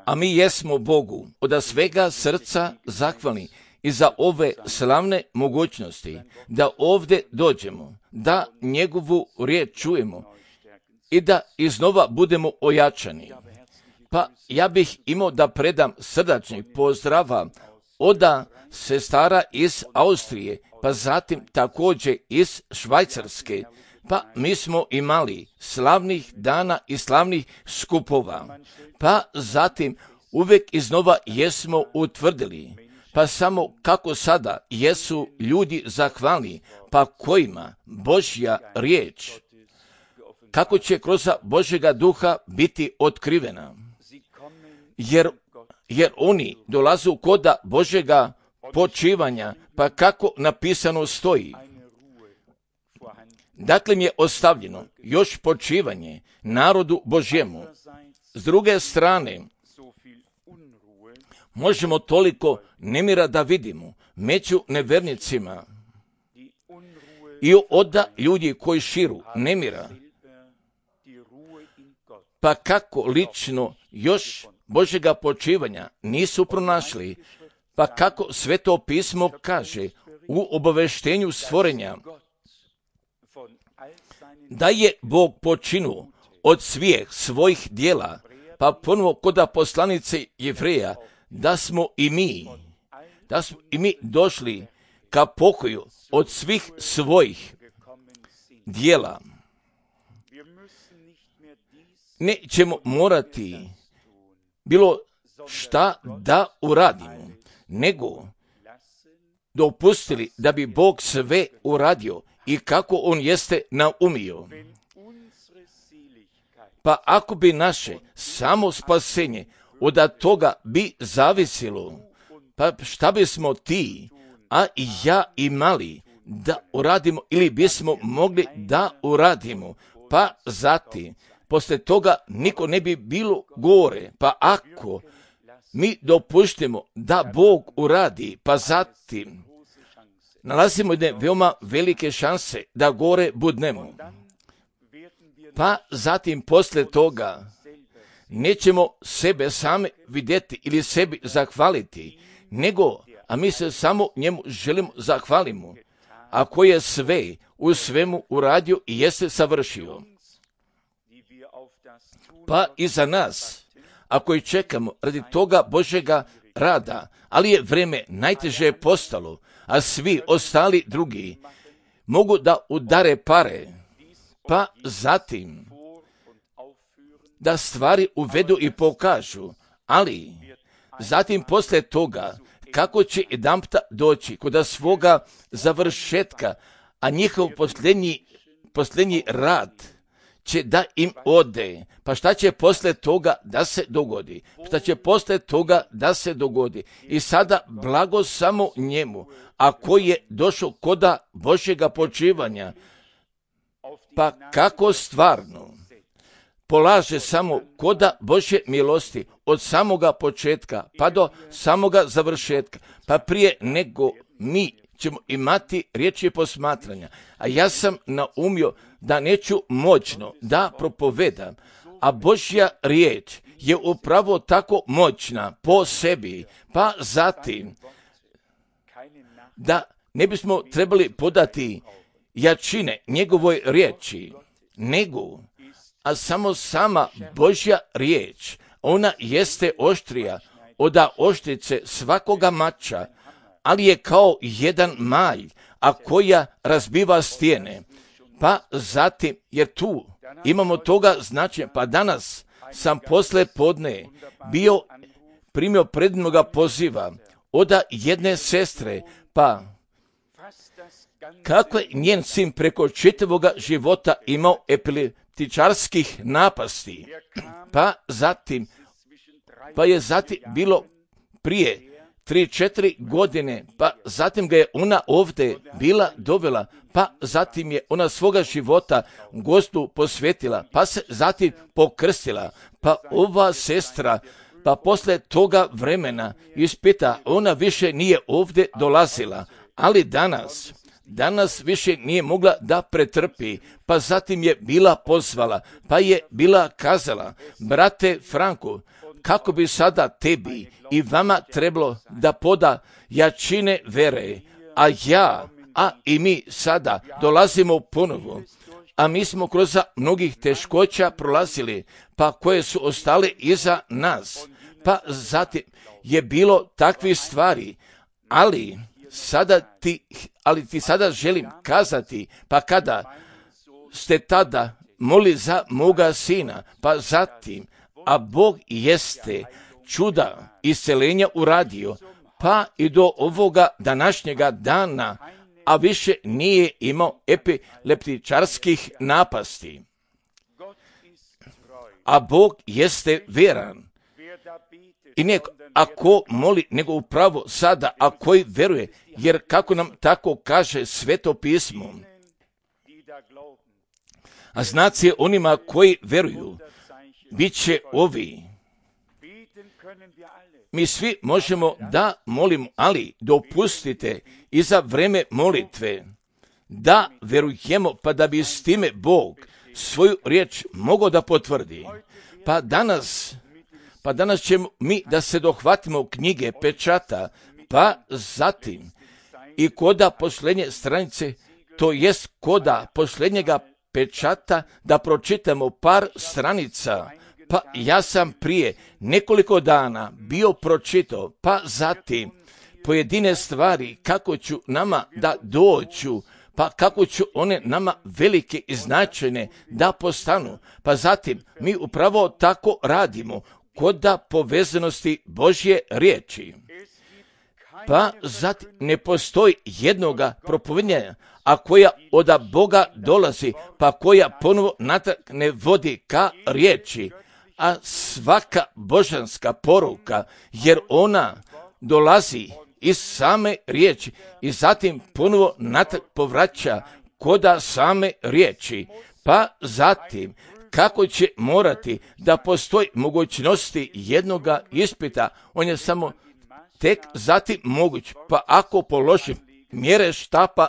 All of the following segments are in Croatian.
A mi jesmo Bogu od svega srca zahvalni i za ove slavne mogućnosti da ovdje dođemo, da njegovu riječ čujemo i da iznova budemo ojačani. Pa ja bih imao da predam srdačni pozdrava od sestara iz Austrije, pa zatim također iz Švajcarske. Pa mi smo imali slavnih dana i slavnih skupova. Pa zatim uvijek iznova jesmo utvrdili. Pa samo kako sada jesu ljudi zahvalni, pa kojima Božja riječ, kako će kroz Božjega duha biti otkrivena. Jer oni dolazu kod Božjega počivanja, pa kako napisano stoji. Dakle mi je ostavljeno još počivanje narodu Božjemu. S druge strane, možemo toliko nemira da vidimo među nevernicima i od ljudi koji širu nemira. Pa kako lično još Božjega počivanja nisu pronašli, pa kako Sveto pismo kaže u obaveštenju stvorenja da je Bog počinuo od svih svojih dijela, pa ponovo kod poslanice Jevreja da smo i mi došli ka pokoju od svih svojih dijela. Nećemo morati bilo šta da uradimo, nego dopustili da bi Bog sve uradio i kako on jeste naumio. Pa ako bi naše samo spasenje od toga bi zavisilo, pa šta bismo ti, a i ja imali da uradimo ili bismo mogli da uradimo, pa zatim posle toga niko ne bi bilo gore. Pa ako mi dopuštimo da Bog uradi, pa zatim nalazimo jedne veoma velike šanse da gore budnemo. Pa zatim posle toga nećemo sebe sami vidjeti ili sebi zahvaliti, nego, a mi se samo njemu želimo zahvalimo, ako je sve u svemu uradio i jeste savršio. Pa i za nas, ako i čekamo radi toga Božjega rada, ali je vreme najteže postalo, a svi ostali drugi mogu da udare pare, pa zatim da stvari uvedu i pokažu, ali zatim posle toga kako će jedanputa doći kod svoga završetka, a njihov posljednji rad će da im ode. Pa šta će posle toga da se dogodi? Šta će posle toga da se dogodi? I sada blago samo njemu, a koji je došao kod Božjega počivanja, pa kako stvarno polaže samo kod Božje milosti od samoga početka pa do samoga završetka, pa prije nego mi ćemo imati riječi posmatranja. A ja sam naumio da neću moćno da propovedam, a Božja riječ je upravo tako moćna po sebi, pa zatim da ne bismo trebali podati jačine njegovoj riječi, nego, a samo sama Božja riječ, ona jeste oštrija od oštrice svakoga mača, ali je kao jedan malj, a koja razbiva stijene. Pa zatim, jer tu imamo toga značenja, pa danas sam posle podne primio predivnoga poziva od jedne sestre, pa kako je njen sin preko čitavoga života imao epileptičarskih napasti, pa je zatim bilo prije 3-4 godine, pa zatim ga je ona ovdje bila dovela, pa zatim je ona svoga života Gostu posvetila, pa se zatim pokrstila, pa ova sestra, pa posle toga vremena ispita, ona više nije ovdje dolazila, ali danas danas više nije mogla da pretrpi, pa zatim je bila pozvala, pa je bila kazala, brate Franko, kako bi sada tebi i vama trebalo da poda jačine vere, a i mi sada dolazimo ponovo, a mi smo kroz mnogih teškoća prolazili, pa koje su ostale iza nas, pa zatim je bilo takvih stvari, ali ti sada želim kazati, pa kada ste tada molili za moga sina, pa zatim, a Bog jeste čuda isceljenja uradio, pa i do ovoga današnjega dana, a više nije imao epileptičarskih napasti. A Bog jeste vjeran. I nek ako moli, nego upravo sada, a koji veruje, jer kako nam tako kaže Sveto pismo, a znaci onima koji veruju, bit će ovi. Mi svi možemo da molimo, ali dopustite i za vreme molitve da verujemo, pa da bi s time Bog svoju riječ mogao da potvrdi. Pa danas ćemo mi da se dohvatimo knjige pečata, pa zatim i koda posljednje stranice, to jest koda posljednjega pečata, da pročitamo par stranica. Pa ja sam prije nekoliko dana bio pročitao, pa zatim pojedine stvari kako ću nama da doću, pa kako ću one nama velike i značajne da postanu. Pa zatim mi upravo tako radimo koda povezanosti Božje riječi. Pa zatim ne postoji jednoga propovedanja, a koja od Boga dolazi, pa koja ponovo natrag ne vodi ka riječi, a svaka božanska poruka, jer ona dolazi iz same riječi i zatim ponovo natrag povraća koda same riječi, pa zatim kako će morati da postoji mogućnosti jednoga ispita, on je samo tek zatim moguć, pa ako položim mjere štapa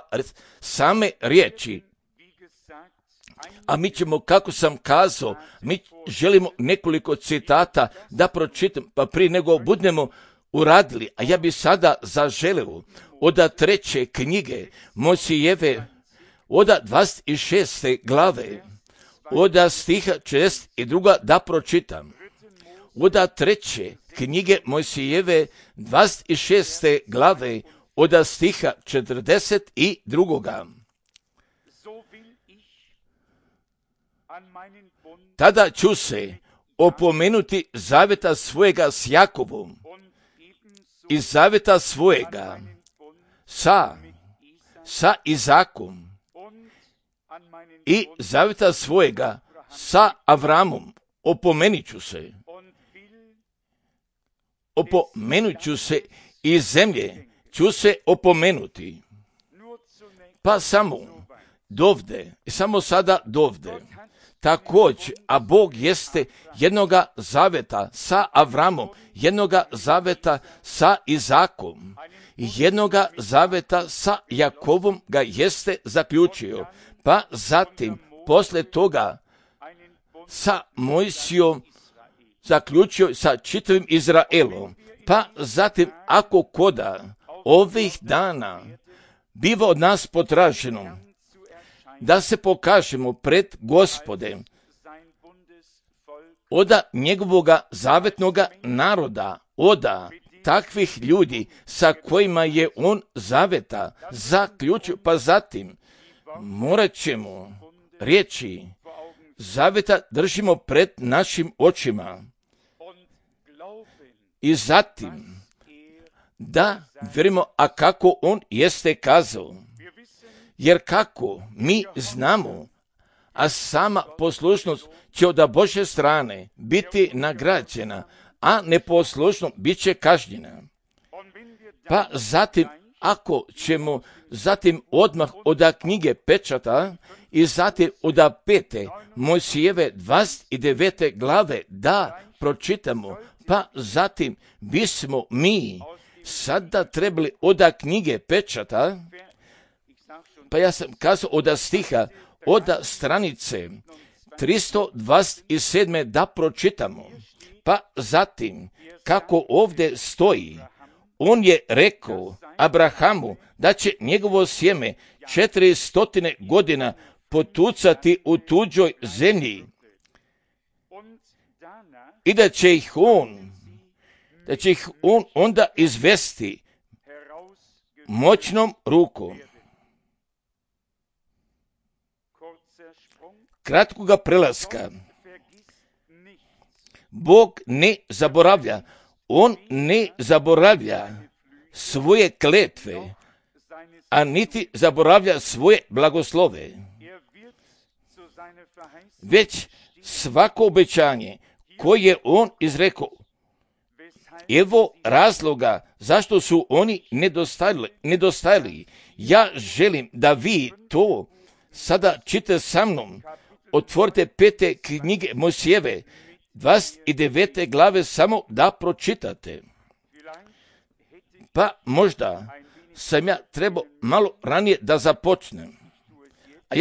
same riječi, a mi ćemo, kako sam kazao, mi želimo nekoliko citata da pročitam, pa prije nego budemo uradili, a ja bi sada zaželeo od 3. knjige Mojsijeve, od 26. glave, od stiha 62. da pročitam. Od 3. knjige Mojsijeve, 26. glave, od stiha 42. Tada ću se opomenuti zaveta svojega s Jakovom i zaveta svojega sa Izakom i zaveta svojega sa Avramom. Opomenut ću se i zemlje ću se opomenuti. Pa samo dovde, samo sada dovde. Također, a Bog jeste jednoga zaveta sa Avramom, jednoga zaveta sa Izakom, jednoga zaveta sa Jakovom ga jeste zaključio, pa zatim posle toga sa Mojsijom zaključio sa čitavim Izraelom, pa zatim ako koda ovih dana biva od nas potraženo da se pokažemo pred Gospodem od njegovoga zavetnoga naroda, od takvih ljudi sa kojima je on zaveta zaključio, pa zatim morat ćemo riječi zaveta držimo pred našim očima i zatim da vjerujemo, a kako on jeste kazao. Jer kako mi znamo, a sama poslušnost će od Božje strane biti nagrađena, a neposlušnost bit će kažnjena. Pa zatim, ako ćemo zatim odmah od knjige pečata i zatim od 5. Mojsijeve 29. glave da pročitamo, pa zatim bismo mi sada trebali od knjige pečata Pa ja sam kazao od stiha, od stranice 327. da pročitamo. Pa zatim, kako ovdje stoji, on je rekao Abrahamu da će njegovo sjeme 400 godina potucati u tuđoj zemlji i da će ih on onda izvesti moćnom rukom. Kratkoga prelaska. Bog ne zaboravlja. On ne zaboravlja svoje kletve, a niti zaboravlja svoje blagoslove. Već svako obećanje koje je on izrekao, evo razloga zašto su oni nedostajali. Ja želim da vi to sada čitate sa mnom. Otvorite 5. knjige Mojsijeve, 29. glave, samo da pročitate. Pa možda sam ja trebao malo ranije da započnem. A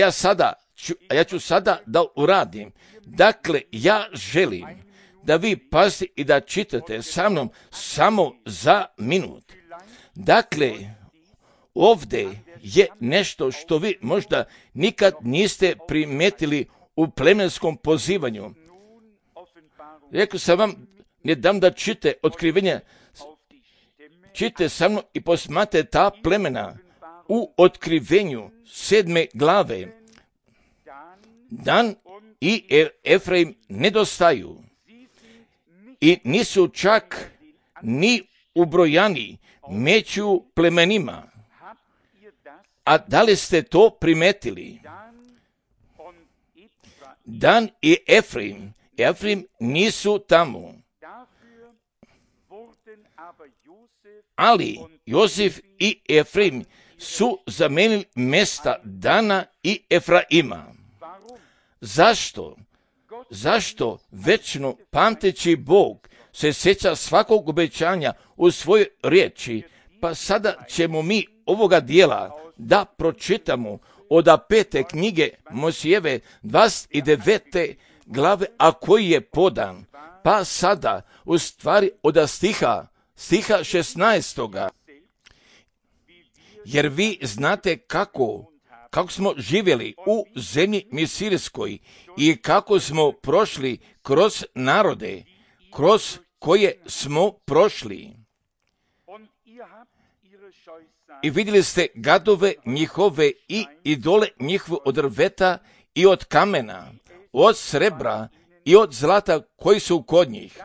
ja ću sada da uradim. Dakle, ja želim da vi pazite i da čitate sa mnom samo za minut. Dakle, ovdje je nešto što vi možda nikad niste primetili u plemenskom pozivanju. Rekao sam vam, ne dam da čite otkrivenja, čite sa mnom i posmate ta plemena u otkrivenju 7. glave. Dan i Efraim nedostaju i nisu čak ni ubrojani među plemenima. A da li ste to primetili? Dan i Efraim nisu tamo. Ali Josif i Efraim su zamenili mjesta Dana i Efraima. Zašto večno pamteći Bog se sjeća svakog obećanja u svojoj riječi? Pa sada ćemo mi ovoga dijela da pročitamo od 5. knjige Mojsijeve 29. glave, a koji je podan. Pa sada u stvari od stiha 16. Jer vi znate kako smo živjeli u zemlji Misirijskoj i kako smo prošli kroz narode, kroz koje smo prošli. I vidjeli ste gadove njihove i idole njihove od drveta i od kamena, od srebra i od zlata koji su kod njih.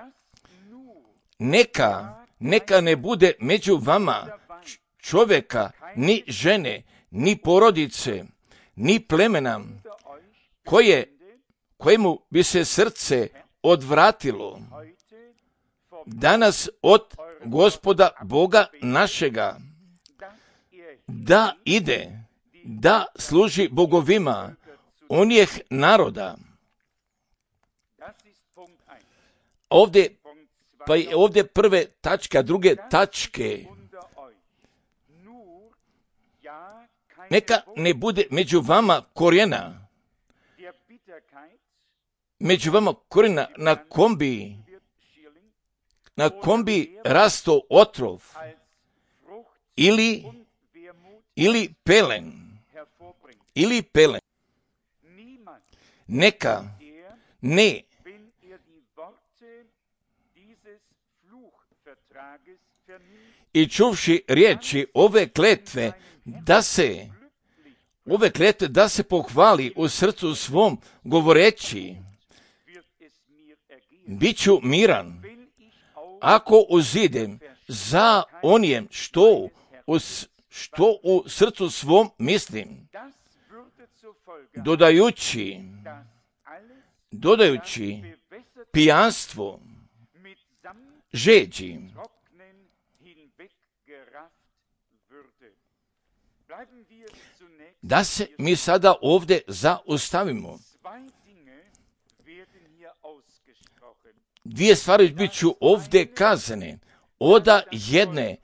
Neka ne bude među vama čovjeka, ni žene, ni porodice, ni plemena, kojemu bi se srce odvratilo danas od Gospoda Boga našega, da ide, da služi bogovima onih naroda. Ovdje prve tačka, druge tačke. Neka ne bude među vama korijena. Među vama korijena na kombi rasto otrov ili pelen. Neka ne i čuvši riječi ove kletve da se pohvali u srcu svom govoreći, bit ću miran ako uzidem za onijem što u srcu svom mislim, dodajući pijanstvo, žeđi. Da se mi sada ovdje zaustavimo. Dvije stvari bit ću ovdje kazane. Oda jedne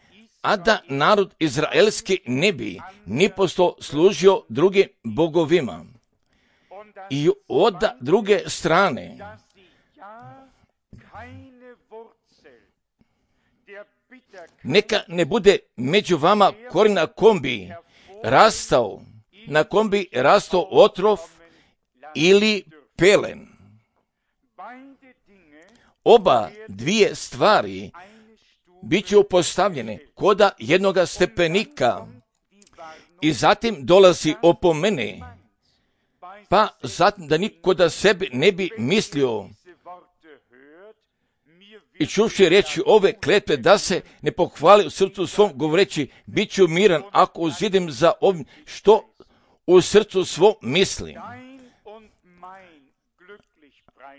a da narod izraelski ne bi nipošto služio drugim bogovima. I od druge strane, neka ne bude među vama koren na kom bi rastao otrov ili pelen. Oba dvije stvari bit će postavljene koda jednoga stepenika i zatim dolazi opomene, pa zatim da niko da sebi ne bi mislio i čuvši reći ove kletve da se ne pohvali u srcu svom govoreći bit ću miran ako uzidim za ovim što u srcu svom mislim.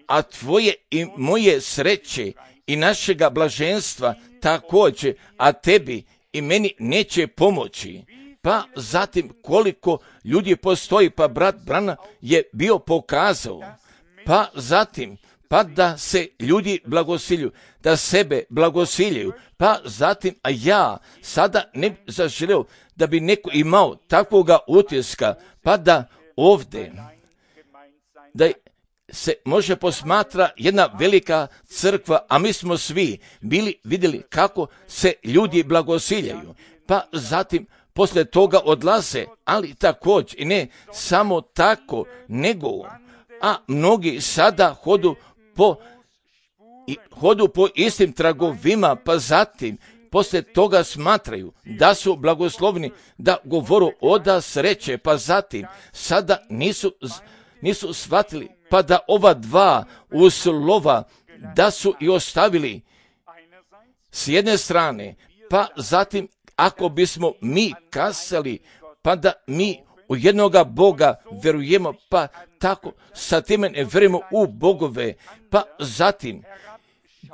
A tvoje i moje sreće i našega blaženstva također, a tebi i meni neće pomoći. Pa zatim koliko ljudi postoji, pa brat Branham je bio pokazao, pa zatim pa da se ljudi blagosiljuju, da sebe blagosiljaju, pa zatim, a ja sada ne zaželeo da bi neko imao takvoga utiska, pa da ovdje, da se može posmatra jedna velika crkva, a mi smo svi bili vidjeli kako se ljudi blagosiljaju, pa zatim poslije toga odlaze, ali također i ne samo tako, nego, a mnogi sada hodu po istim tragovima, pa zatim poslije toga smatraju da su blagoslovni, da govoru oda sreće, pa zatim sada nisu shvatili, pa da ova dva uslova da su i ostavili s jedne strane, pa zatim ako bismo mi kazali, pa da mi u jednoga Boga verujemo, pa tako sa time ne verujemo u bogove, pa zatim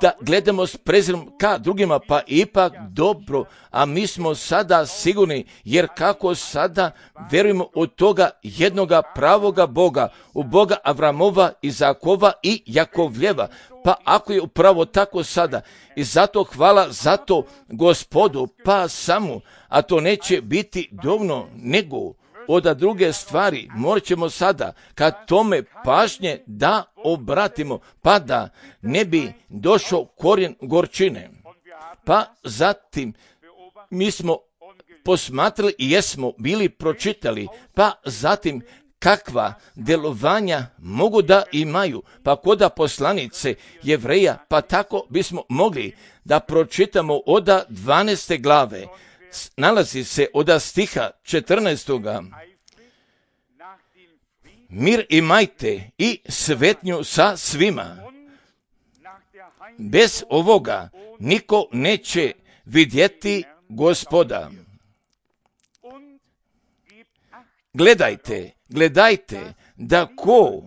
da gledamo s prezirom ka drugima, pa ipak dobro, a mi smo sada sigurni, jer kako sada verujemo u toga jednoga pravoga Boga, u Boga Avramova, Izakova i Jakovljeva, pa ako je upravo tako sada, i zato hvala za to Gospodu, pa samo, a to neće biti dovoljno, nego od druge stvari morat ćemo sada kad tome pažnje da obratimo, pa da ne bi došao korijen gorčine. Pa zatim mi smo posmatrali i jesmo bili pročitali, pa zatim kakva djelovanja mogu da imaju, pa koda poslanice Jevreja, pa tako bismo mogli da pročitamo od 12. glave, nalazi se od stiha 14. Mir imajte i svetnju sa svima. Bez ovoga niko neće vidjeti Gospoda. Gledajte da ko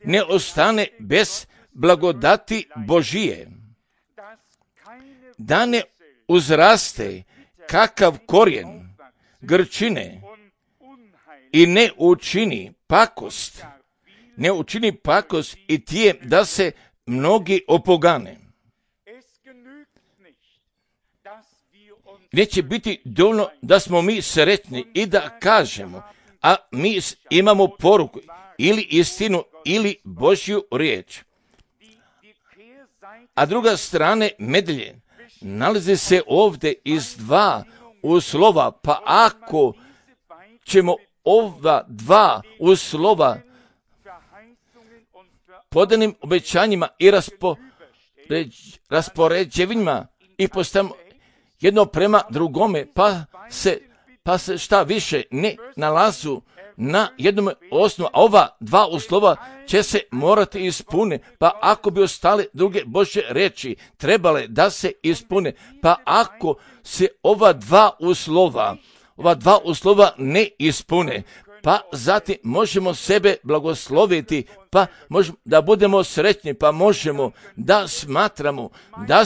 ne ostane bez blagodati Božije, da ne uzraste kakav korijen grčine i ne učini pakost i tijem da se mnogi opogane. Neće biti dovoljno da smo mi sretni i da kažemo, a mi imamo poruku ili istinu ili Božju riječ. A druga strane medalje nalazi se ovdje iz dva uslova, pa ako ćemo ova dva uslova podanim obećanjima i raspoređevinjima i postavimo jedno prema drugome, pa se šta više ne nalazu na jednom osnovu, a ova dva uslova će se morati ispuniti, pa ako bi ostale druge Božje riječi trebale da se ispune, pa ako se ova dva uslova ne ispune, pa zatim možemo sebe blagosloviti, pa možemo da budemo sretni, pa možemo da smatramo da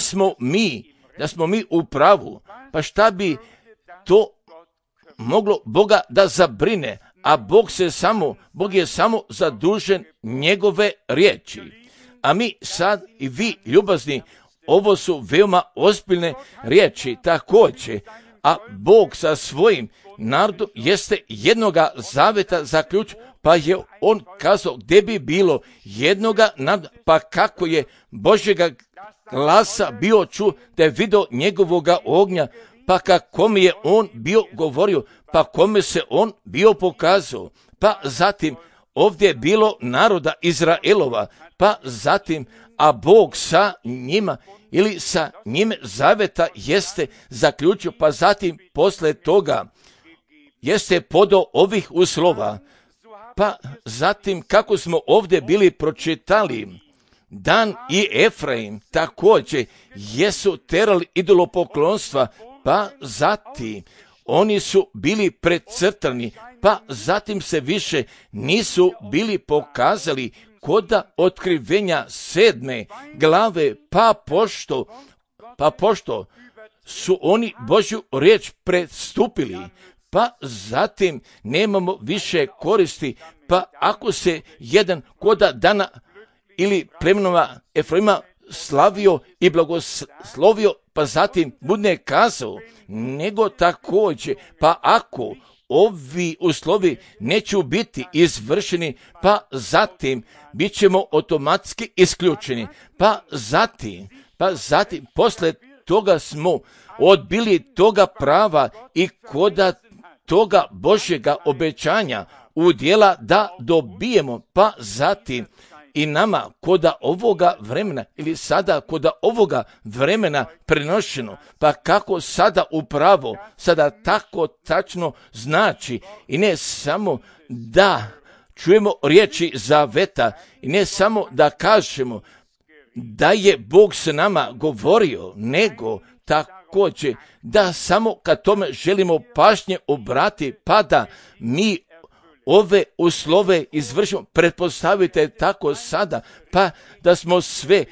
smo mi u pravu, pa šta bi to moglo Boga da zabrine, a Bog je samo zadužen njegove riječi. A mi sad i vi ljubazni ovo su veoma ozbiljne riječi također, a Bog sa svojim narodom jeste jednoga zaveta zaključio, pa je on kazao gdje bi bilo jednoga naroda, pa kako je Božjega glasa bio čuo, da je vidio njegovoga ognja, pa kome je on bio govorio, pa kome se on bio pokazao, pa zatim ovdje je bilo naroda Izraelova, pa zatim, a Bog sa njima ili sa njime zaveta jeste zaključio, pa zatim posle toga jeste podao ovih uslova, pa zatim kako smo ovdje bili pročitali, Dan i Efraim također jesu terali idolopoklonstva, pa zatim oni su bili precrtani, pa zatim se više nisu bili pokazali koda otkrivenja 7. glave, pa pošto su oni Božju riječ prestupili, pa zatim nemamo više koristi, pa ako se jedan koda Dana ili plemenova Efraima slavio i blagoslovio, pa zatim bude kazao, nego također, pa ako ovi uslovi neće biti izvršeni, pa zatim bit ćemo automatski isključeni, pa zatim posle toga smo odbili toga prava i koda toga Božjega obećanja udjela da dobijemo, pa zatim i nama koda ovoga vremena ili sada koda ovoga vremena prenošeno, pa kako sada upravo, sada tako tačno znači i ne samo da čujemo riječi zaveta i ne samo da kažemo da je Bog s nama govorio, nego također da samo kad tome želimo pažnje obrati, pa da mi ove uslove izvršimo. Pretpostavite tako sada, pa da smo sve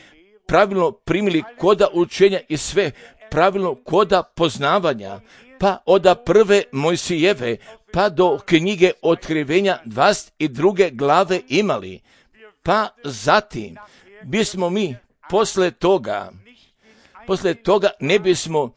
pravilno primili koda učenja i sve pravilno koda poznavanja, pa od prve Mojsijeve pa do knjige Otkrivenja 22. glave imali, pa zatim bismo mi posle toga ne bismo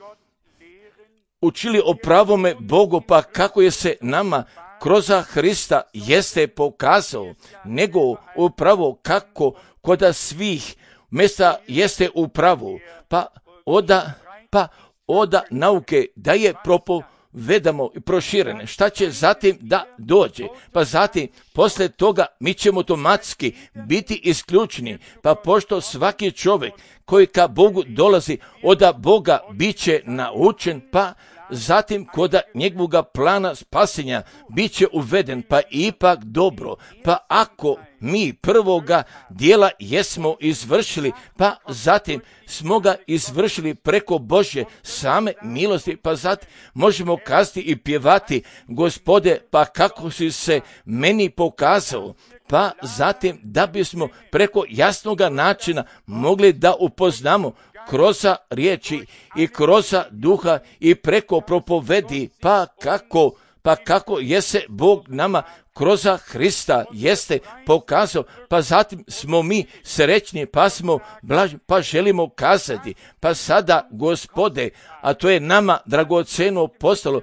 učili o pravome Bogu, pa kako je se nama kroz Hrista jeste pokazao, nego upravo kako koda svih mjesta jeste upravo, pa oda nauke da je propovedamo i proširene. Šta će zatim da dođe? Pa zatim posle toga mi ćemo automatski biti isključeni, pa pošto svaki čovjek koji ka Bogu dolazi od Boga bit će naučen, pa zatim koda njegovoga plana spasenja bit će uveden, pa ipak dobro, pa ako mi prvoga dijela jesmo izvršili, pa zatim smo ga izvršili preko Božje same milosti, pa zatim možemo kazati i pjevati, Gospode, pa kako si se meni pokazao, pa zatim da bismo preko jasnoga načina mogli da upoznamo kroz riječi i kroz duha i preko propovedi, pa kako jese Bog nama kroz Hrista jeste pokazao, pa zatim smo mi srećni, pa smo blažni, pa želimo kazati, pa sada, Gospode, a to je nama dragoceno postalo,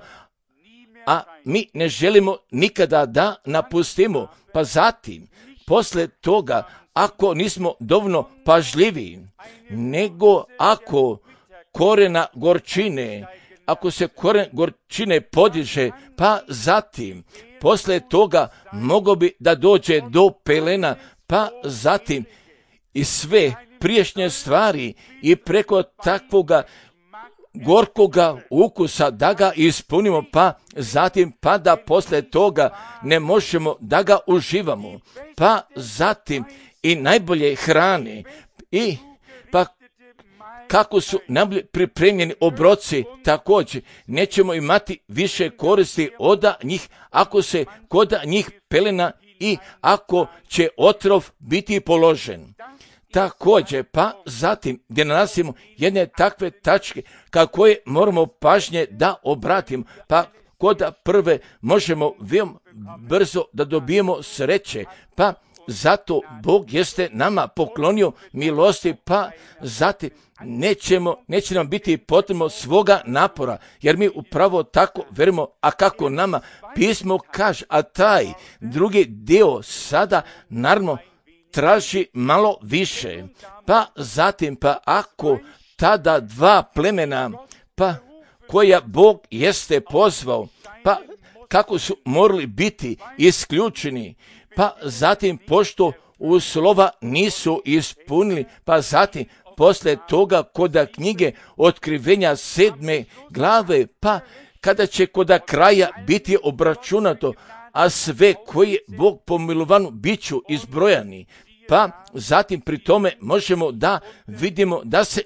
a mi ne želimo nikada da napustimo, pa zatim, posle toga, ako nismo dovoljno pažljivi, nego ako korena gorčine, ako se koren gorčine podiže, pa zatim, posle toga mogo bi da dođe do pelena, pa zatim i sve priješnje stvari i preko takvoga gorkoga ukusa da ga ispunimo, pa zatim pa da posle toga ne možemo da ga uživamo, pa zatim i najbolje hrane i pa kako su najbolje pripremljeni obroci, također nećemo imati više koristi od njih ako se kod njih pelena i ako će otrov biti položen. Također, pa zatim gdje nalazimo jedne takve tačke kako je moramo pažnje da obratimo, pa kod prve možemo veoma brzo da dobijemo sreće, pa zato Bog jeste nama poklonio milosti, pa zatim neće nam biti potrebno svoga napora, jer mi upravo tako verimo, a kako nama pismo kaže, a taj drugi dio sada naravno traži malo više, pa zatim, pa ako tada dva plemena, pa koja Bog jeste pozvao, pa kako su morali biti isključeni, pa zatim pošto uslova nisu ispunili, pa zatim poslije toga koda knjige Otkrivenja 7. glave, pa kada će koda kraja biti obračunato, a sve koje Bog pomilovanu bit ću izbrojani, pa zatim pri tome možemo da vidimo da se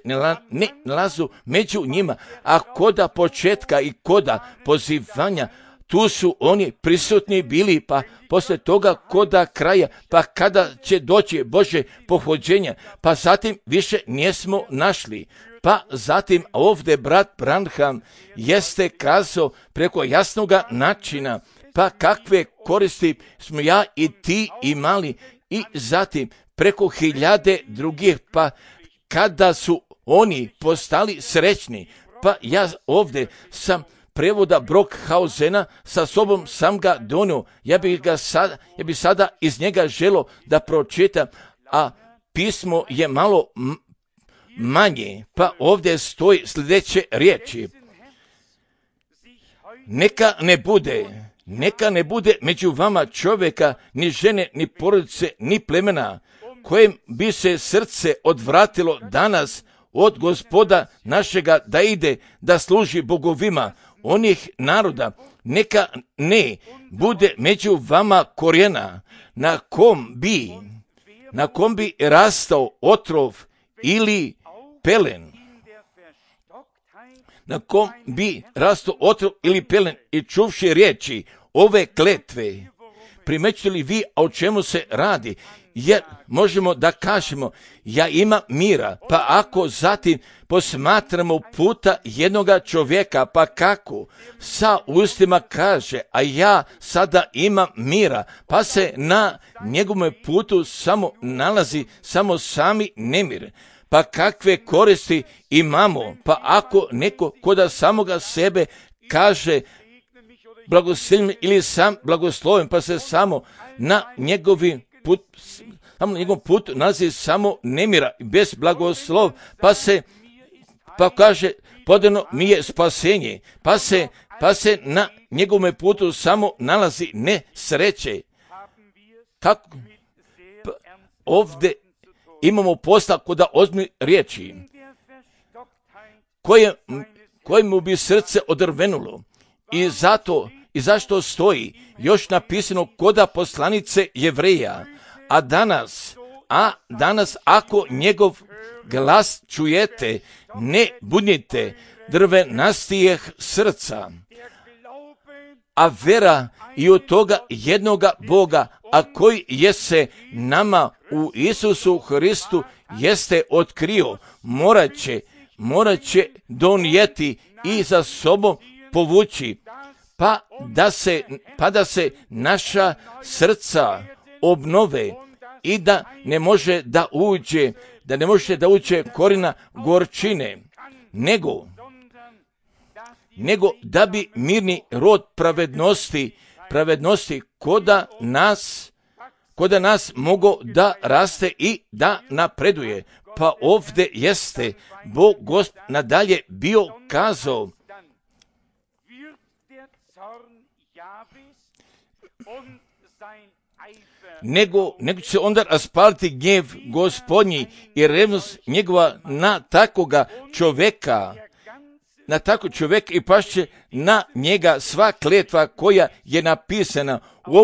ne nalazu među njima, a koda početka i koda pozivanja, tu su oni prisutni bili, pa poslije toga koda kraja, pa kada će doći Božje pohođenje, pa zatim više nismo našli. Pa zatim ovdje brat Branham jeste kazao preko jasnoga načina, pa kakve koristi smo ja i ti imali, i zatim preko hiljade drugih, pa kada su oni postali srećni, pa ja ovdje sam prevoda Brockhausena sa sobom sam ga donio, ja bi sada iz njega želio da pročitam, a pismo je malo manje, pa ovdje stoji sljedeće riječi. Neka ne bude među vama čovjeka, ni žene, ni porodice, ni plemena, kojem bi se srce odvratilo danas od Gospoda našega da ide da služi bogovima onih naroda. Neka ne bude među vama korijena na kom bi rastao otrov ili pelen. Na kom bi rastao otrov ili pelen, i čuvši riječi ove kletve. Primećujete li vi o čemu se radi? Jer možemo da kažemo, ja imam mira, pa ako zatim posmatramo puta jednoga čovjeka, pa kako sa ustima kaže, a ja sada imam mira, pa se na njegovom putu samo nalazi samo sami nemir. Pa kakve koristi imamo, pa ako neko koda samoga sebe kaže blagoslovim ili sam blagosloven, pa se samo na njegovom putu nalazi samo nemira, bez blagoslov, pa kaže podano mi je spasenje, pa se na njegovom putu samo nalazi nesreće. Kako? Pa ovdje imamo posla koda ozbiljnih riječi, kojemu bi srce odrvenulo. I zašto stoji još napisano koda poslanice Jevreja, a danas ako njegov glas čujete, ne budnite drvenastijeh srca, a vera i od toga jednoga Boga, a koji je se nama u Isusu Hristu jeste otkrio, morat će donijeti i za sobom povući, pa da se naša srca obnove i da ne može da uđe korina gorčine, nego da bi mirni rod pravednosti koda nas mogo da raste i da napreduje. Pa ovdje jeste Bog Gospod nadalje bio kazao, nego će onda raspaliti gnjev Gospodnji i revnost njegova na takoga čovjeka, i pašće na njega sva kletva koja je napisana u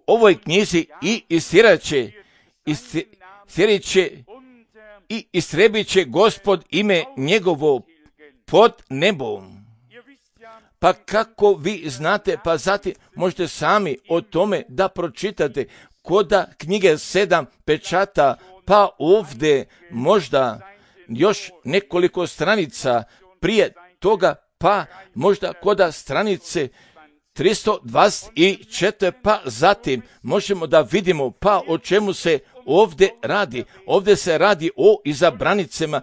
ovoj knjizi i istrebit će Gospod ime njegovo pod nebom. Pa kako vi znate, pa zatim možete sami o tome da pročitate koda knjige 7 pečata, pa ovdje možda još nekoliko stranica prije toga, pa možda koda stranice 324, pa zatim možemo da vidimo pa o čemu se ovdje radi. Ovdje se radi o izabranicama,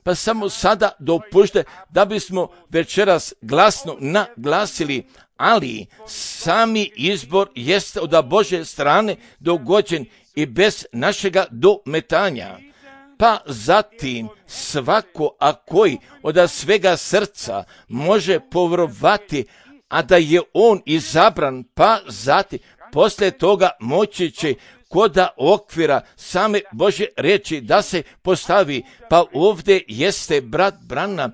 pa samo sada dopušte da bismo večeras glasno naglasili, ali sami izbor jeste od Božje strane dogođen i bez našega dometanja. Pa zatim svako, a koji od svega srca može povjerovati, a da je on izabran, pa zatim poslije toga moći će koda okvira same Božje riječi da se postavi. Pa ovdje jeste brat Branham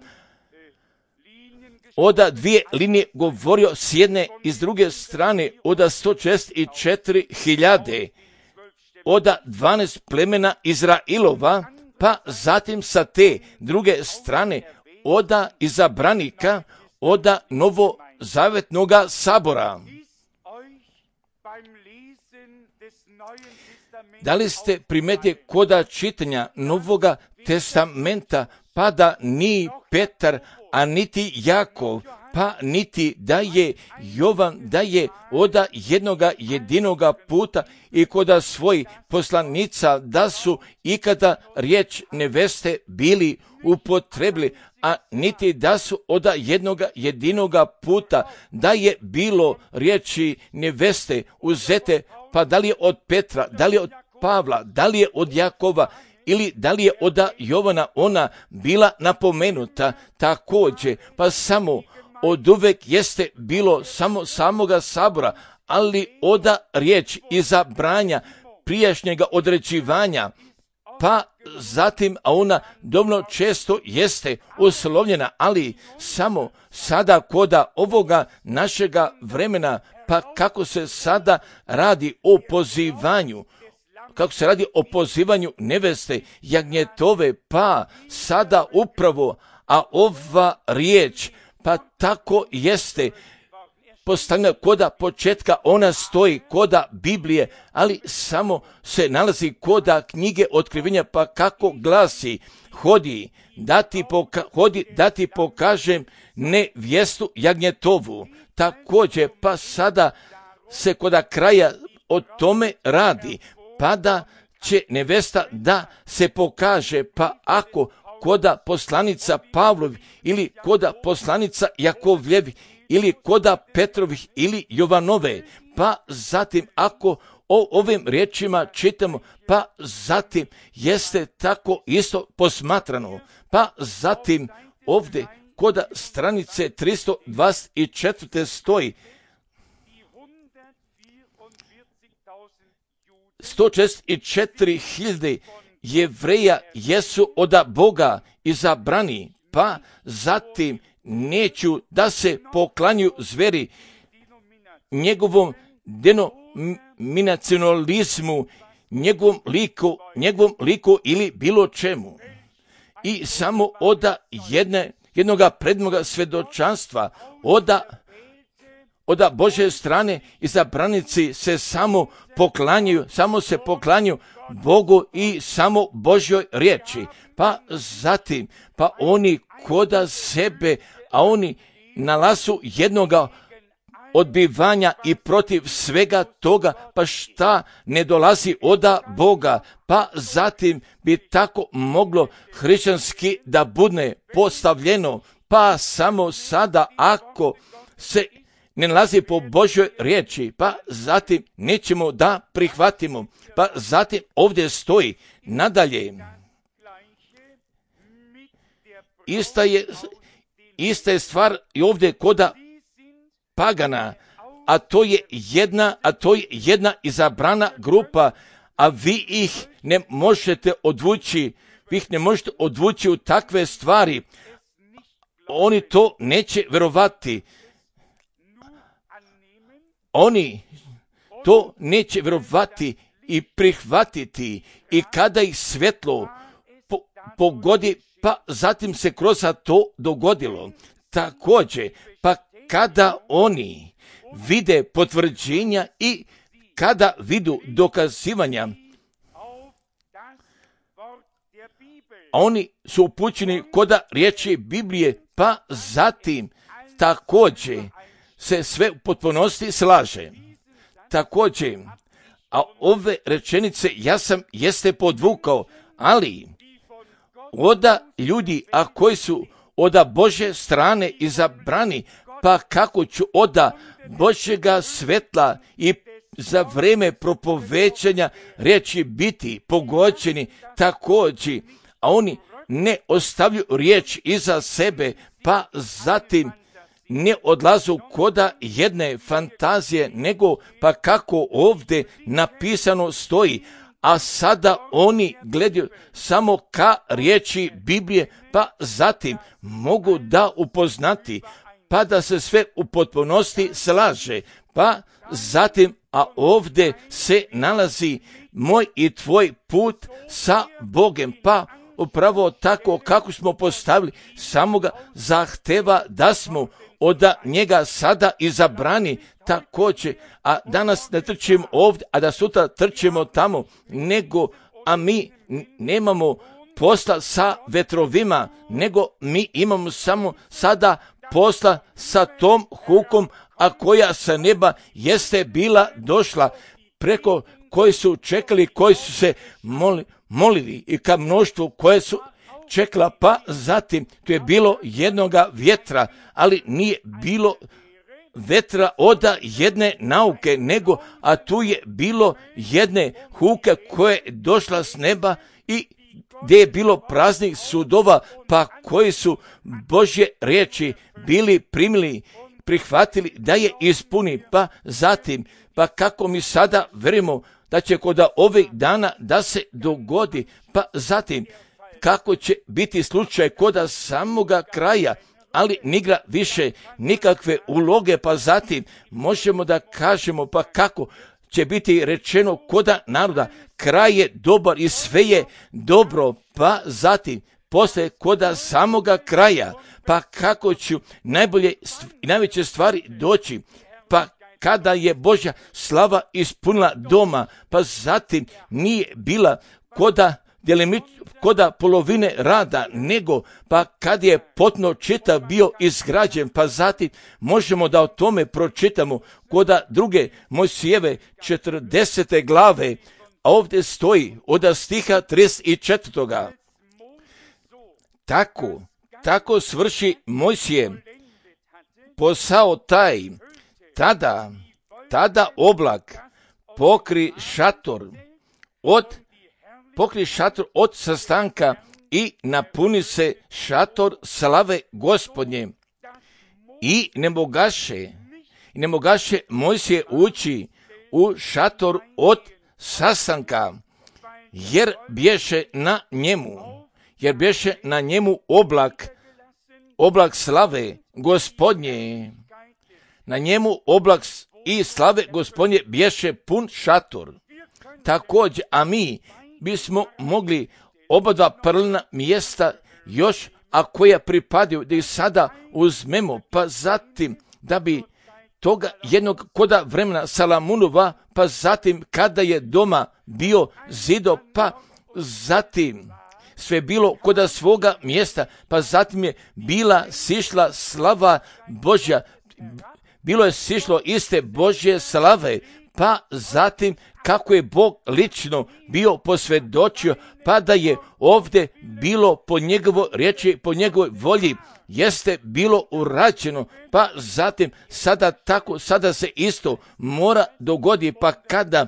od dvije linije govorio s jedne i s druge strane od 164.000 od 12 plemena Izrailova, pa zatim sa te druge strane od izabranika od novozavetnoga sabora. Da li ste primetili koda čitanja Novoga testamenta, pa da ni Petar, a niti Jakov, pa niti da je Jovan, da je od jednoga jedinoga puta i koda svojih poslanica, da su ikada riječ neveste bili upotrebili, a niti da su od jednoga jedinoga puta da je bilo riječi neveste uzete, pa da li je od Petra, da li je od Pavla, da li je od Jakova ili da li je od Jovana ona bila napomenuta također, pa samo od uvek jeste bilo samo samoga sabora, ali od riječ izabranja prijašnjega određivanja, pa zatim, a ona dovoljno često jeste uslovljena, ali samo sada koda ovoga našega vremena, pa kako se sada radi o pozivanju, kako se radi o pozivanju neveste jagnjetove, pa sada upravo, a ova riječ, pa tako jeste postavljena koda početka, ona stoji koda Biblije, ali samo se nalazi koda knjige Otkrivenja, pa kako glasi, hodi da ti pokažem nevjestu jagnjetovu. Također, pa sada se koda kraja o tome radi, pa da će nevesta da se pokaže, pa ako koda poslanica Pavlovi ili koda poslanica Jakovljevi ili koda Petrovih ili Jovanove, pa zatim ako o ovim riječima čitamo, pa zatim jeste tako isto posmatrano, pa zatim ovdje koda stranice 324. stoji 164.000 Jevreja jesu od Boga izabrani, pa zatim neću da se poklanju zveri njegovom denominacionalizmu, njegovom liku ili bilo čemu. I samo od jednoga predmoga svjedočanstva, od Božje strane izabranici se samo se poklanju Bogu i samo Božjoj riječi. Pa zatim, pa oni koda sebe, a oni nalazu jednoga odbivanja i protiv svega toga, pa šta ne dolazi od Boga, pa zatim bi tako moglo hrišćanski da bude postavljeno, pa samo sada ako se ne nalazi po Božjoj riječi, pa zatim nećemo da prihvatimo, pa zatim ovdje stoji nadalje. Ista je stvar i ovdje koda pagana, a to je jedna izabrana grupa, a vi ih ne možete odvući u takve stvari. Oni to neće vjerovati. Oni to neće vjerovati i prihvatiti, i kada ih svjetlo pogodi, pa zatim se kroz to dogodilo. Također, pa kada oni vide potvrđenja i kada vidu dokazivanja, oni su upućeni koda riječi Biblije, pa zatim također se sve u potpunosti slaže. Također, a ove rečenice jeste podvukao, ali oda ljudi, a koji su oda Bože strane izabrani, pa kako ću oda Božjega svetla i za vrijeme propovećanja riječi biti pogođeni također, a oni ne ostavljaju riječ iza sebe, pa zatim ne odlazu koda jedne fantazije, nego pa kako ovdje napisano stoji, a sada oni gledaju samo ka riječi Biblije, pa zatim mogu da upoznati, pa da se sve u potpunosti slaže, pa zatim, a ovdje se nalazi moj i tvoj put sa Bogom, pa upravo tako kako smo postavili, samo ga zahteva da smo od njega sada izabrani također, a danas ne trčimo ovdje, a da sutra trčimo tamo, nego, a mi nemamo posla sa vetrovima, nego mi imamo samo sada posla sa tom hukom, a koja sa neba jeste bila došla, preko koji su čekali, koji su se molili i ka mnoštvu koje su čekala, pa zatim tu je bilo jednoga vjetra, ali nije bilo vetra od jedne nauke, nego, a tu je bilo jedne huke koja je došla s neba i gdje je bilo praznih sudova, pa koji su Božje riječi bili primili, prihvatili da je ispuni, pa zatim, pa kako mi sada verimo da će kod ovih dana da se dogodi, pa zatim kako će biti slučaj kod samoga kraja, ali nigra više nikakve uloge, pa zatim možemo da kažemo pa kako će biti rečeno koda naroda, kraj je dobar i sve je dobro, pa zatim poslije koda samoga kraja, pa kako ću najbolje i najveće stvari doći, pa kada je Božja slava ispunila doma, pa zatim nije bila koda polovine rada, nego pa kad je potpuno čitav bio izgrađen, pa zatim možemo da o tome pročitamo koda druge Mojsijeve 40. glave, a ovdje stoji od stiha 34. Tako svrši Mojsije posao taj, tada oblak pokri šator od sastanka i napuni se šator slave Gospodnje. I ne mogaše Mojsije ući u šator od sastanka, jer bješe na njemu oblak slave Gospodnje. Na njemu oblak i slave Gospodnje bješe pun šator. Također, a mi bismo mogli oba dva paralelna mjesta još, a koja pripadaju, da ih sada uzmemo, pa zatim da bi toga jednog koda vremena Salamunova, pa zatim kada je doma bio zido, pa zatim sve bilo koda svoga mjesta, pa zatim je bila sišla slava Božja, bilo je sišlo iste Božje slave, pa zatim kako je Bog lično bio posvjedočio, pa da je ovdje bilo po njegovoj riječi, po njegovoj volji, jeste bilo urađeno, pa zatim sada se isto mora dogodi, pa kada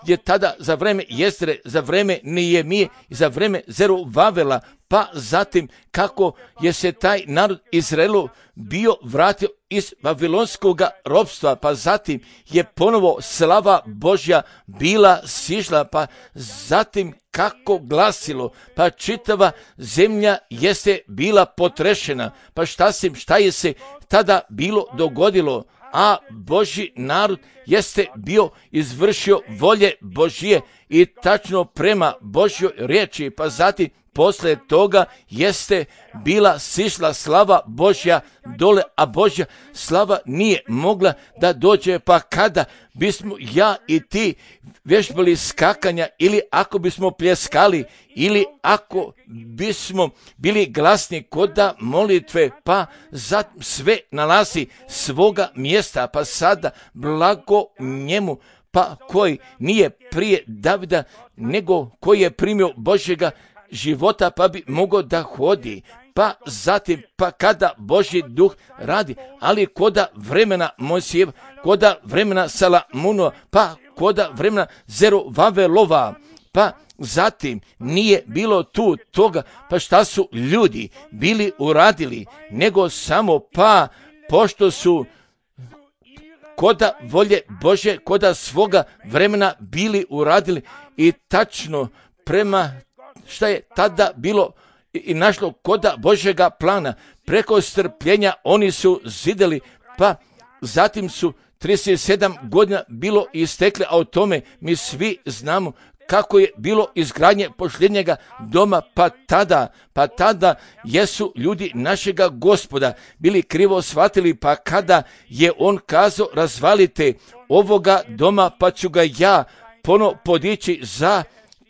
je tada za vreme Jestre, za vreme Nehemije i za vreme Zerubabela, pa zatim kako je se taj narod Izraelu bio vratio iz babilonskog ropstva, pa zatim je ponovo slava Božja bila sišla, pa zatim kako glasilo, pa čitava zemlja jeste bila potrešena, pa šta je se tada bilo dogodilo, a Božji narod jeste bio izvršio volje Božje i tačno prema Božjoj riječi, pa zatim posle toga jeste bila sišla slava Božja dole, a Božja slava nije mogla da dođe, pa kada bismo ja i ti vježbali skakanja, ili ako bismo pljeskali, ili ako bismo bili glasni koda molitve, pa za sve nalazi svoga mjesta, pa sada blago njemu, pa koji nije prije Davida, nego koji je primio Božjega života, pa bi mogao da hodi. Pa zatim, pa kada Božji duh radi, ali koda vremena Mojsijeva, koda vremena Salamunova, pa koda vremena Zeruvavelova, pa zatim nije bilo tu toga, pa šta su ljudi bili uradili, nego samo pa pošto su koda volje Bože, koda svoga vremena bili uradili i tačno prema šta je tada bilo i našlo koda Božjega plana, preko strpljenja oni su zidali, pa zatim su 37 godina bilo istekle, a o tome mi svi znamo kako je bilo izgradnje posljednjega doma, pa tada jesu ljudi našega Gospoda bili krivo shvatili, pa kada je on kazao razvalite ovoga doma, pa ću ga ja ponovo podići za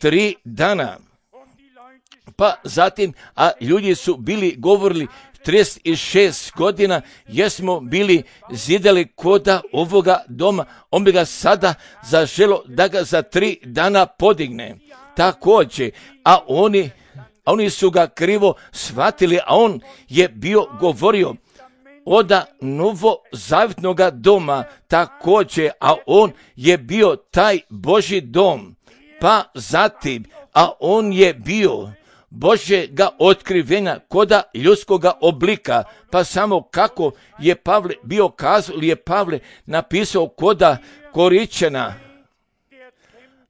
3 dana. Pa zatim, a ljudi su bili govorili 36 godina jesmo bili zidali koda ovoga doma, on bi ga sada zaželo da ga za 3 dana podigne. Također, a oni su ga krivo shvatili, a on je bio govorio oda novozavjetnoga doma također, a on je bio taj Božji dom. Pa zatim, a on je bio Božjega otkrivenja koda ljudskoga oblika, pa samo kako je Pavle bio kazao, ili je Pavle napisao koda Koričana,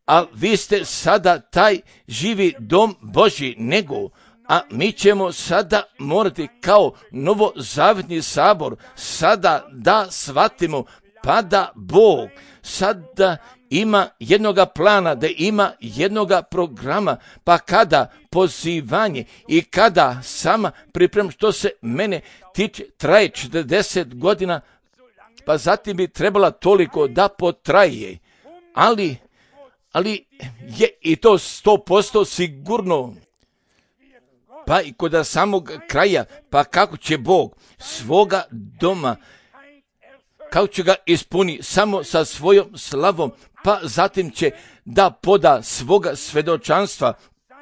a vi ste sada taj živi dom Božji, nego, a mi ćemo sada morati kao novozavjetni sabor sada da shvatimo, pa da Bog sada ima jednoga plana, da ima jednoga programa, pa kada pozivanje i kada sama priprema, što se mene tiče, traje 40 godina, pa zatim bi trebala toliko da potraje, ali je i to 100% sigurno. Pa i kod samog kraja, pa kako će Bog svoga doma, kako će ga ispuni samo sa svojom slavom, pa zatim će da poda svoga svedočanstva,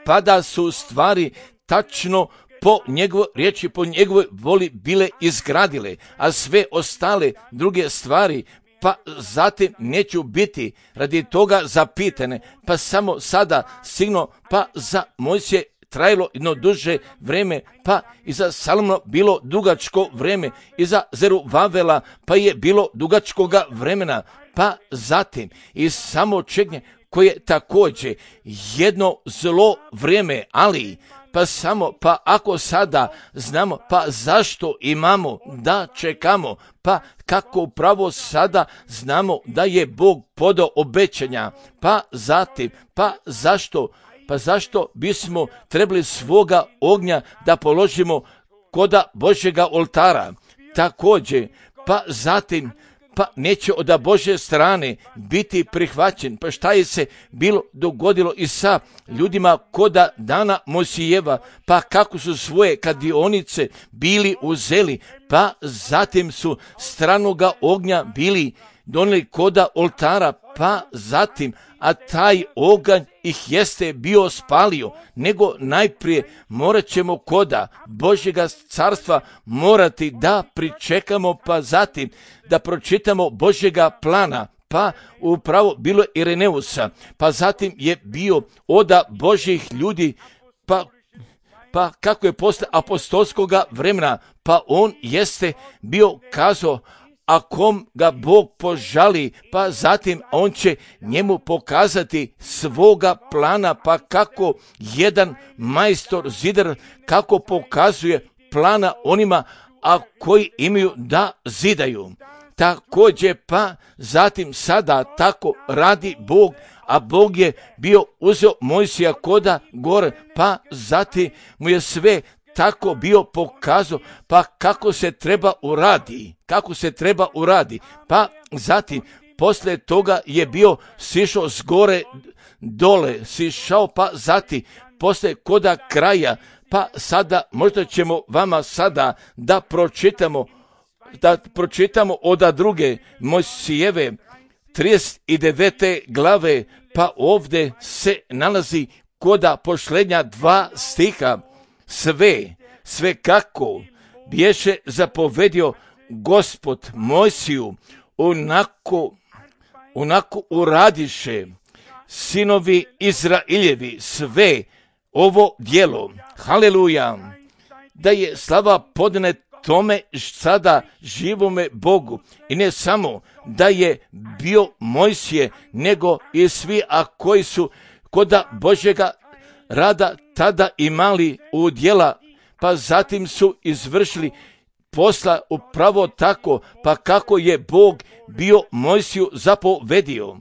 pa da su stvari tačno po njegovoj riječi, po njegovoj voli bile izgradile, a sve ostale druge stvari, pa zatim neću biti radi toga zapitane, pa samo sada signo, pa za Mojsije trajalo jedno duže vreme, pa i za Salomona bilo dugačko vreme, i za Zeruvavela pa je bilo dugačkoga vremena, pa zatim i samo čeknje koje također jedno zlo vrijeme, ali pa ako sada znamo, pa zašto imamo da čekamo, pa kako upravo sada znamo da je Bog podao obećanja, pa zatim, pa zašto bismo trebali svoga ognja da položimo koda Božjega oltara, također, pa zatim, pa neće od Božje strane biti prihvaćen. Pa šta je se bilo dogodilo i sa ljudima koda dana Mojsijeva, pa kako su svoje kadionice bili uzeli, pa zatim su stranoga ognja bili donijeli koda oltara, pa zatim, a taj oganj ih jeste bio spalio, nego najprije morat ćemo koda Božjega carstva morati da pričekamo, pa zatim da pročitamo Božjega plana, pa upravo bilo Ireneusa, pa zatim je bio oda Božjih ljudi, pa kako je posle apostolskoga vremena, pa on jeste bio kazao, a kom ga Bog požali, pa zatim on će njemu pokazati svoga plana, pa kako jedan majstor zidar, kako pokazuje plana onima, a koji imaju da zidaju. također pa zatim sada tako radi Bog, a Bog je bio uzeo Mojsija koda gore, pa zatim mu je sve tako bio pokazao, pa kako se treba uradi, pa zatim poslije toga je bio sišao s gore dole, sišao, pa zatim poslije koda kraja, pa sada možda ćemo vama sada da pročitamo od druge Mojsijeve 39. glave, pa ovdje se nalazi koda pošlenja 2 stiha, sve kako biješe zapovedio Gospod Mojsiju, onako uradiše sinovi Izrailjevi sve ovo djelo. Haleluja! Da je slava podane tome sada živome Bogu. I ne samo da je bio Mojsije, nego i svi, a koji su koda Božjega rada tada imali u djela, pa zatim su izvršili posla upravo tako, pa kako je Bog bio Mojsiju zapovedio.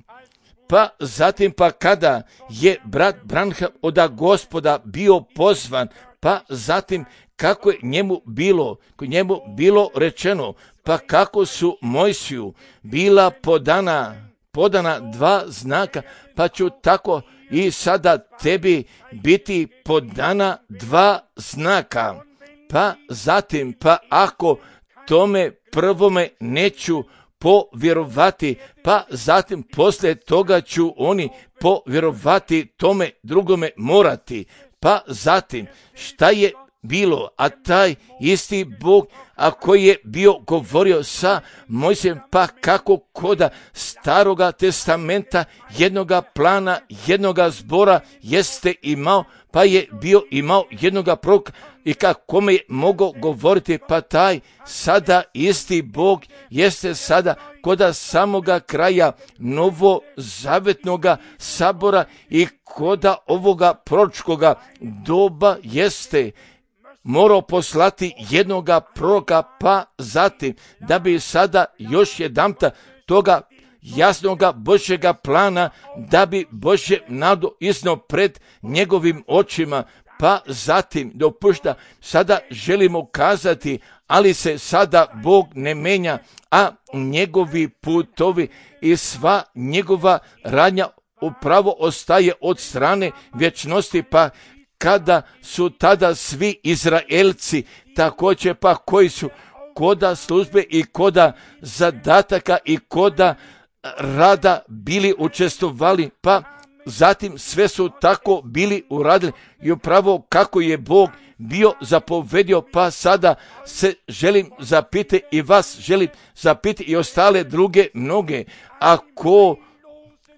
Pa zatim pa kada je brat Branham od Gospoda bio pozvan, pa zatim kako je njemu bilo rečeno, pa kako su Mojsiju bila podana 2 znaka, pa ću tako i sada tebi biti podana 2 znaka. Pa zatim, pa ako tome prvome neću povjerovati, pa zatim poslije toga ću oni povjerovati tome drugome morati. Pa zatim, šta je bilo, a taj isti Bog, a koji je bio govorio sa Mojsijem, pa kako koda Staroga testamenta jednoga plana, jednoga zbora jeste imao, pa je bio imao jednoga proroka i kome je mogao govoriti, pa taj sada isti Bog jeste sada koda samoga kraja novozavetnoga sabora i koda ovoga proročkoga doba jeste morao poslati jednoga proroka, pa zatim da bi sada još jedanputa toga jasnoga Božjega plana, da bi Božje nadu iznio pred njegovim očima, pa zatim dopušta, sada želimo kazati, ali se sada Bog ne menja, a njegovi putovi i sva njegova radnja upravo ostaje od strane vječnosti, pa kada su tada svi Izraelci također pa koji su koda službe i koda zadataka i koda rada bili učestvovali, pa zatim sve su tako bili uradili i upravo kako je Bog bio zapovedio, pa sada se želim zapiti i vas želim zapiti i ostale druge mnoge,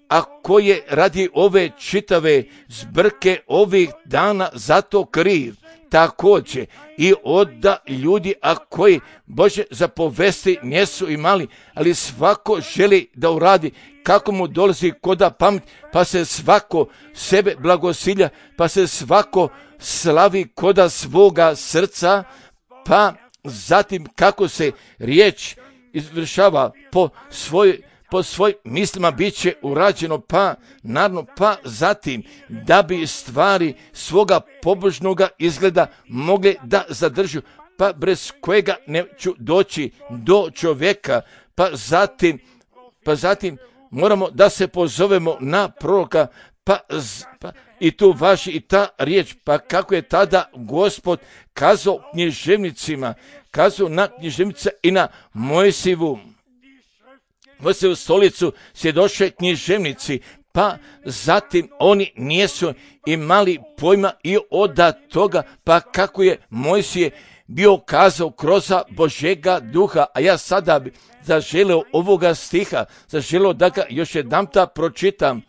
ako je radi ove čitave zbrke ovih dana zato kriv, također i od ljudi, a koji Bože zapovesti nisu imali, ali svako želi da uradi kako mu dolazi koda pamet, pa se svako sebe blagosilja, pa se svako slavi koda svoga srca, pa zatim kako se riječ izvršava po svojim mislima bit će urađeno, pa naravno, pa zatim da bi stvari svoga pobožnoga izgleda mogli da zadržu, pa bez kojega neću doći do čovjeka, pa zatim moramo da se pozovemo na proroka, pa i tu važi i ta riječ, pa kako je tada Gospod kazao književnicima, kazao na književnica i na Mojsijevu stolicu svjedoče književnici, pa zatim oni nisu imali pojma i od toga, pa kako je Mojsije bio kazao kroz Božjega duha, a ja sada bi zaželio ovoga stiha, zaželio da ga još jedanputa pročitam.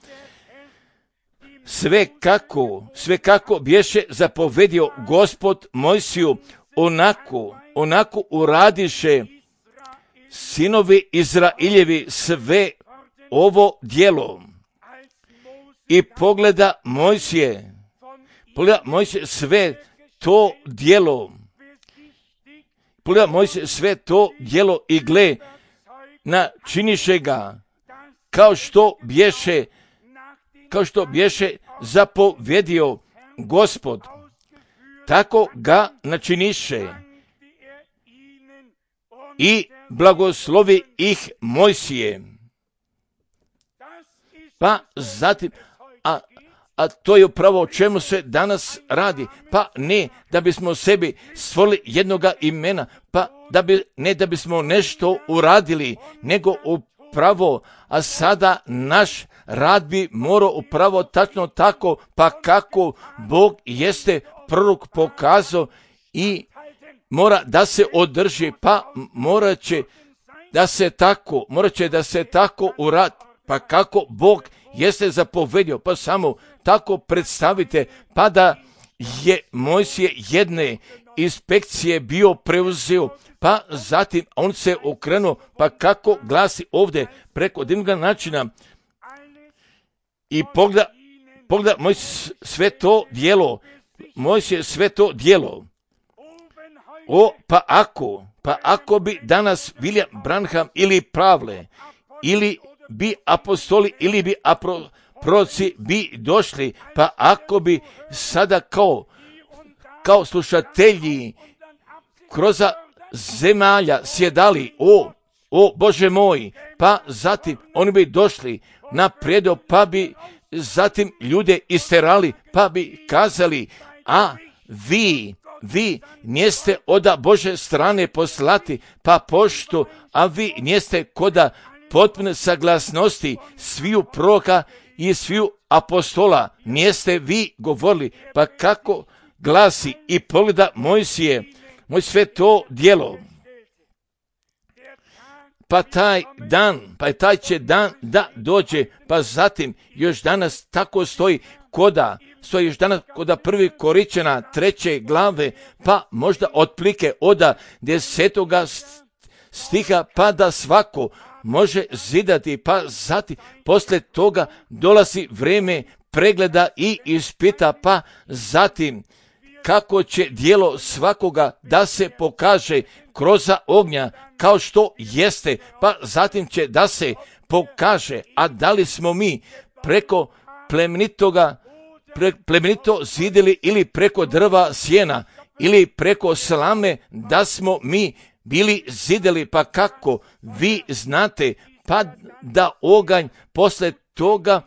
Sve kako bješe zapovedio Gospod Mojsiju, onako uradiše sinovi Izrailjevi sve ovo djelo. I pogleda Mojsije sve to djelo. Pogleda Mojsije sve to djelo i gle, načiniše ga kao što bješe zapovjedio Gospod, tako ga načiniše i blagoslovi ih Mojsije. Pa zatim, a to je upravo o čemu se danas radi. Pa ne da bismo sebi stvorili jednoga imena, pa ne da bismo nešto uradili, nego upravo, a sada naš rad bi morao upravo tačno tako, pa kako Bog jeste prorok pokazao i mora da se održi, pa morat će da se tako uradi, pa kako Bog jeste zapovedio, pa samo tako predstavite, pa da je Mojsije jedne inspekcije bio preuzeo, pa zatim on se okrenuo, pa kako glasi ovdje preko divnog načina i pogleda Mojsije sve to djelo. Pa ako bi danas William Branham ili Pavle, ili bi apostoli, ili bi proroci bi došli, pa ako bi sada kao slušatelji kroz zemalja sjedali, o Bože moj, pa zatim oni bi došli na predo, pa bi zatim ljude isterali, pa bi kazali, a vi njeste od Bože strane poslati, pa pošto, a vi njeste koda potpune saglasnosti sviju proroka i sviju apostola, njeste vi govorili, pa kako glasi i pogleda Mojsije, sve to djelo. Pa taj će dan da dođe, pa zatim još danas tako stoji još danas koda 1. Korinćana 3. glave, pa možda otplike od 10. stiha, pa da svako može zidati, pa zatim poslije toga dolazi vrijeme pregleda i ispita, pa zatim kako će djelo svakoga da se pokaže kroz ognja kao što jeste, pa zatim će da se pokaže, a da li smo mi preko plemenito zidili ili preko drva sjena ili preko slame, da smo mi bili zideli, pa kako vi znate, pa da oganj posle toga,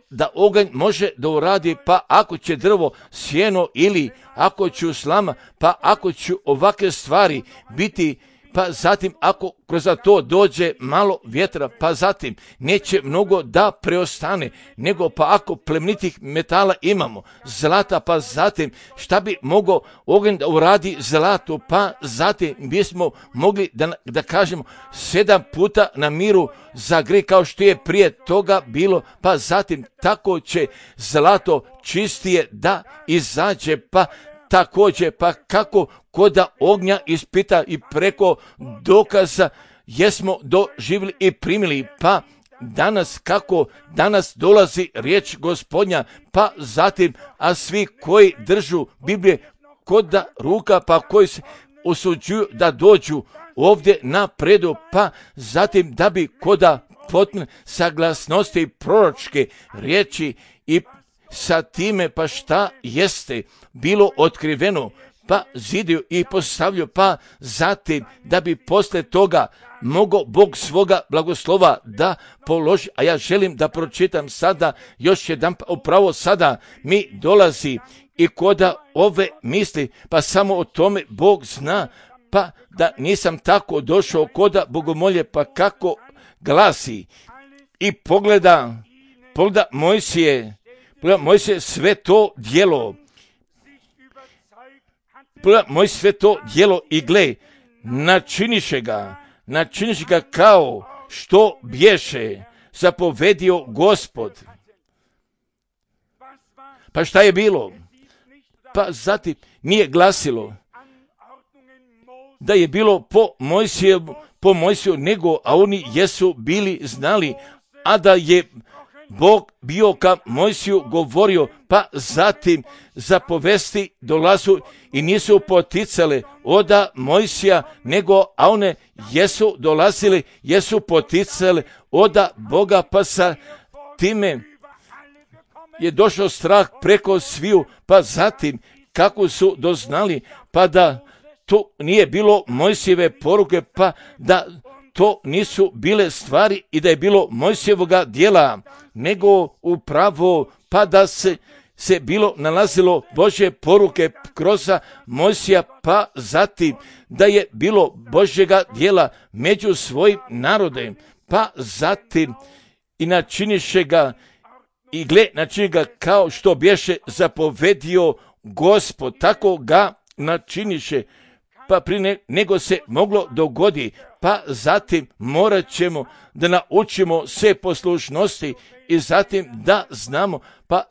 da oganj može da uradi, pa ako će drvo, sjeno ili ako će slama, pa ako će ovakve stvari biti, pa zatim ako kroz to dođe malo vjetra, pa zatim neće mnogo da preostane, nego pa ako plemenitih metala imamo, zlata, pa zatim šta bi mogao oganj da uradi zlato, pa zatim bismo mogli da kažemo 7 puta na miru za grijeh kao što je prije toga bilo, pa zatim tako će zlato čistije da izađe, pa također, pa kako koda ognja ispita i preko dokaza jesmo doživjeli i primili, pa danas dolazi riječ Gospodnja, pa zatim, a svi koji držu Biblije koda ruka, pa koji se usuđuju da dođu ovdje na predu, pa zatim da bi koda potpune saglasnosti proročke riječi i sa time pa šta jeste bilo otkriveno, pa zidio i postavljao, pa zatim da bi posle toga mogao Bog svoga blagoslova da položi. A ja želim da pročitam sada još jedan, upravo sada mi dolazi i koda ove misli, pa samo o tome Bog zna, pa da nisam tako došao koda bogomolje, pa kako glasi i pogleda Mojsije sve to djelo. Moj sve to djelo i gle, načiniše ga kao što bješe zapovedio Gospod. Pa šta je bilo? Pa zatim nije glasilo da je bilo po Mojsiju, nego, a oni jesu bili znali, a da je Bog bio ka Mojsiju govorio, pa zatim zapovesti dolazu i nisu poticale oda Mojsija, nego a one jesu dolazili, jesu poticale oda Boga, pa sa time je došao strah preko sviju, pa zatim kako su doznali, pa da to nije bilo Mojsijeve poruke, pa da to nisu bile stvari i da je bilo Mojsijevoga djela, nego upravo pa da se bilo nalazilo Božje poruke kroz Mojsija, pa zatim da je bilo Božjega djela među svojim narodem, pa zatim i načiniše ga i gle načini ga kao što bješe zapovedio Gospod, tako ga načiniše, pa prije nego se moglo dogodi, pa zatim morat ćemo da naučimo sve poslušnosti i zatim da znamo pa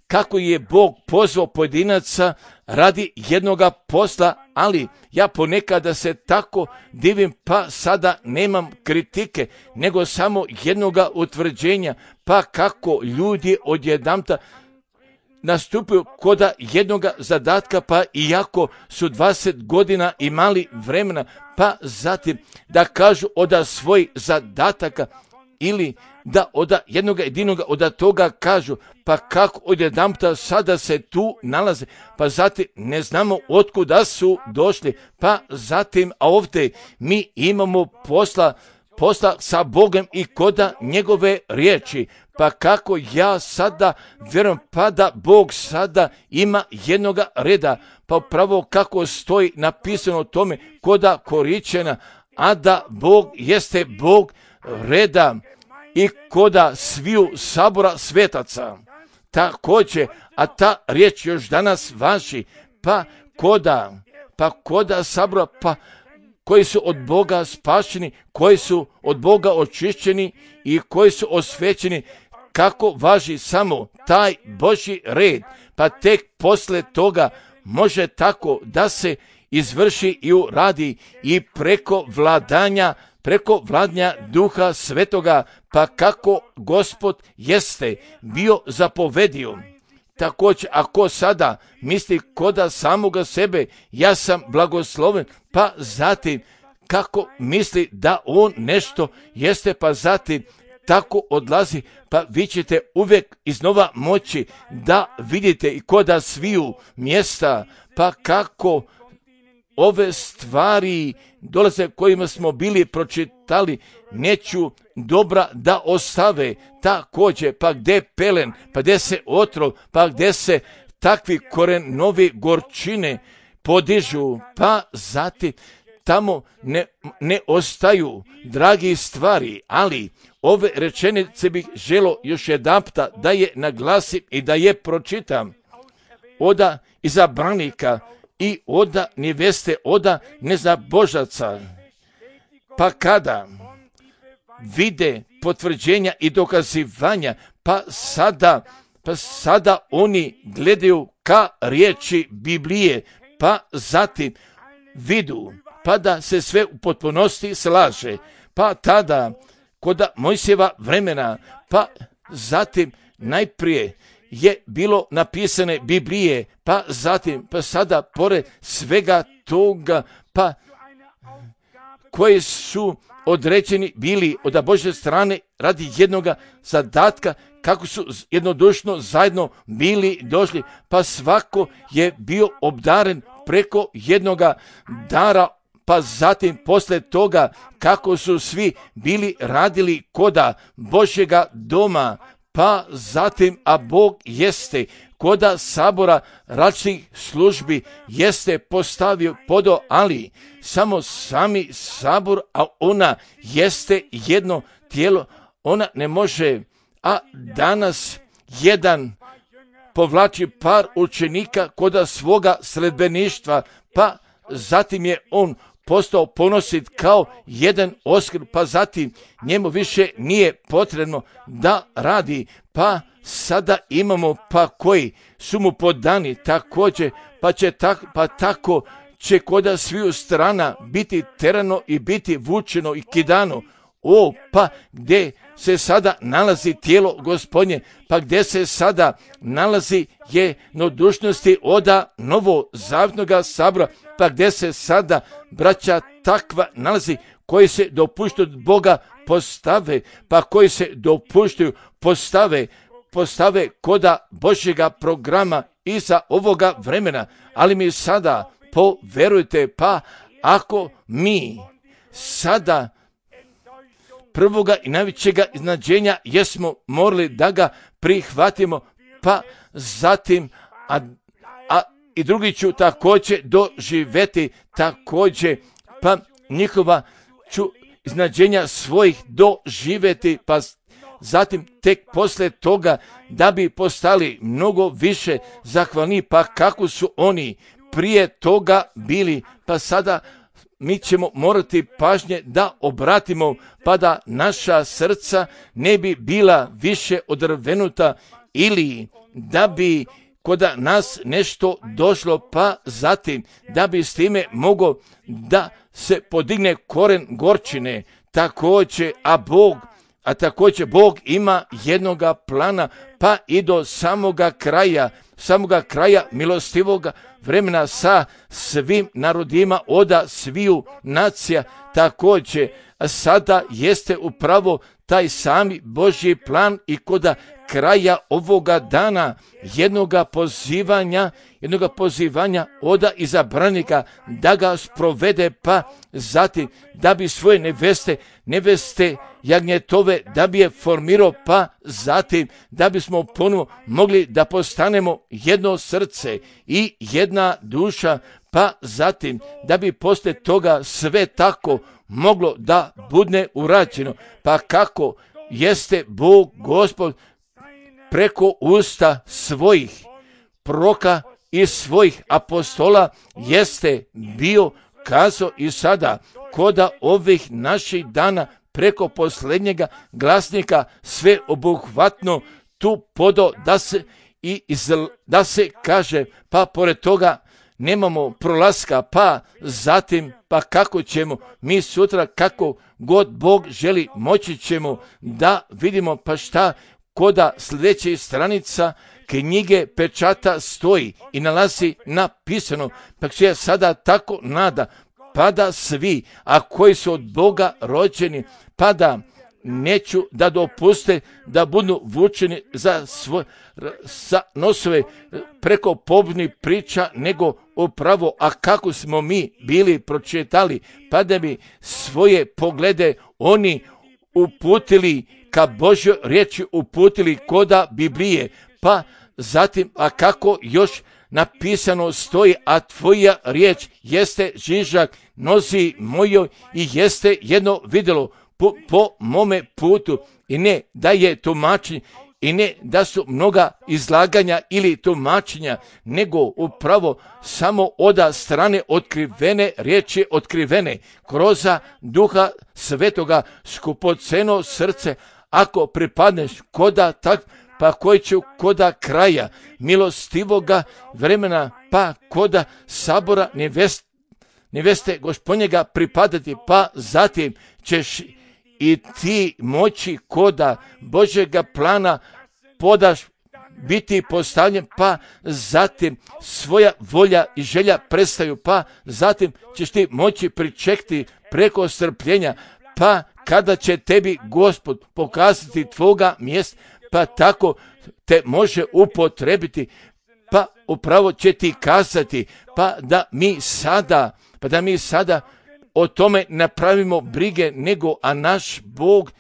kako je Bog pozvao pojedinaca radi jednoga posla, ali ja ponekada se tako divim, pa sada nemam kritike, nego samo jednoga utvrđenja, pa kako ljudi odjedanput nastupaju kod jednoga zadatka, pa iako su 20 godina imali vremena, pa zatim da kažu od svojih zadataka ili da od jednoga jedinoga od toga kažu, pa kako odjedanput sada se tu nalaze, pa zatim ne znamo otkuda su došli, pa zatim a ovdje mi imamo posla sa Bogom i koda njegove riječi, pa kako ja sada vjerujem, pa da Bog sada ima jednoga reda, pa upravo kako stoji napisano o tome koda Koričena, a da Bog jeste Bog reda i koda sviju sabora svetaca. Također, a ta riječ još danas važi, pa koda sabora, pa koji su od Boga spašeni, koji su od Boga očišćeni i koji su osvećeni, kako važi samo taj Božji red, pa tek posle toga može tako da se izvrši i uradi i preko vladanja Duha Svetoga, pa kako Gospod jeste bio zapovedio. Također, ako sada misli koda samoga sebe, ja sam blagosloven, pa zatim kako misli da on nešto jeste, pa zatim tako odlazi, pa vi ćete uvijek iznova moći da vidite i koda sviju mjesta, pa kako ove stvari dolaze kojima smo bili pročitali, neću dobra da ostave. Također, pa gdje pelen, pa gdje se otrov, pa gdje se takvi korenovi gorčine podižu, pa zatim tamo ne ostaju dragi stvari, ali ove rečenice bih želo još jedanput da je naglasim i da je pročitam. Oda izabranika i oda neveste, oda nezabožaca. Pa kada vide potvrđenja i dokazivanja, pa sada oni gledaju ka riječi Biblije, pa zatim vidu, pa da se sve u potpunosti slaže, pa tada kod Mojsijeva vremena, pa zatim najprije je bilo napisane Biblije, pa zatim, pa sada pored svega toga, pa koji su određeni bili od Božje strane radi jednoga zadatka, kako su jednodušno zajedno bili došli, pa svako je bio obdaren preko jednoga dara, pa zatim posle toga kako su svi bili radili koda Božjega doma, pa zatim, a Bog jeste koda sabora različitih službi jeste postavio podo, ali samo sami sabor, a ona jeste jedno tijelo, ona ne može, a danas jedan povlači par učenika koda svoga sledbeništva, pa zatim je on postao ponosit kao jedan oskr, pa zatim njemu više nije potrebno da radi, pa sada imamo pa koji su mu podani također, pa tako će koda sviju strana biti terano i biti vučeno i kidano pa gdje se sada nalazi tijelo Gospodnje, pa gdje se sada nalazi jednodušnosti oda novozavjetnoga sabora, pa gdje se sada braća takva nalazi koji se dopuštaju od Boga postave, pa koji se dopuštaju postave koda Božjega programa iza ovoga vremena. Ali mi sada poverujte, pa ako mi sada prvoga i najvećega iznenađenja jesmo morali da ga prihvatimo, pa zatim i drugi ću također doživjeti također, pa njihova ću iznenađenja svojih doživjeti, pa zatim tek poslije toga da bi postali mnogo više zahvalni, pa kako su oni prije toga bili, pa sada mi ćemo morati pažnje da obratimo, pa da naša srca ne bi bila više odrvenuta ili da bi kod nas nešto došlo, pa zatim da bi s time mogao da se podigne koren gorčine. Također Bog ima jednoga plana, pa i do samoga kraja milostivoga vremena sa svim narodima oda sviju nacija. Također sada jeste upravo taj sami Božji plan i koda kraja ovoga dana jednoga pozivanja oda izabranika da ga sprovede, pa zatim da bi svoje neveste jagnjetove da bi je formirao, pa zatim da bismo ponovo mogli da postanemo jedno srce i jedna duša, pa zatim da bi poslije toga sve tako moglo da bude urađeno. Pa kako jeste Bog Gospod preko usta svojih proroka i svojih apostola jeste bio kazao i sada koda ovih naših dana preko posljednjega glasnika sve obuhvatno tu podo da se kaže, pa pored toga nemamo prolaska, pa zatim pa kako ćemo mi sutra, kako god Bog želi, moći ćemo da vidimo pa šta koda sljedećih stranica knjige pečata stoji i nalazi napisano, pa se sada tako nada, pa da svi, a koji su od Boga rođeni, pa da neću da dopuste da budu vučeni za nosove preko pobnih priča, nego upravo, a kako smo mi bili pročitali, pa da bi svoje poglede oni uputili ka Božjoj riječi, uputili koda Biblije, pa zatim, a kako još napisano stoji, a tvoja riječ jeste žižak nozi mojoj i jeste jedno vidjelo po mome putu, i ne da je tumačenje i ne da su mnoga izlaganja ili tumačenja, nego upravo samo oda strane otkrivene riječi, otkrivene kroz Duha Svetoga, skupoceno srce, ako pripadneš koda tak, pa koji će koda kraja milostivoga vremena, pa koda sabora neveste Gospodnjega pripadati, pa zatim ćeš i ti moći koda Božjega plana podaš biti postavljen, pa zatim svoja volja i želja prestaju, pa zatim ćeš ti moći pričekati preko strpljenja, pa kada će tebi Gospod pokazati tvoga mjesta, pa tako te može upotrebiti, pa upravo će ti kazati, pa da mi sada o tome napravimo brige, nego a naš Bog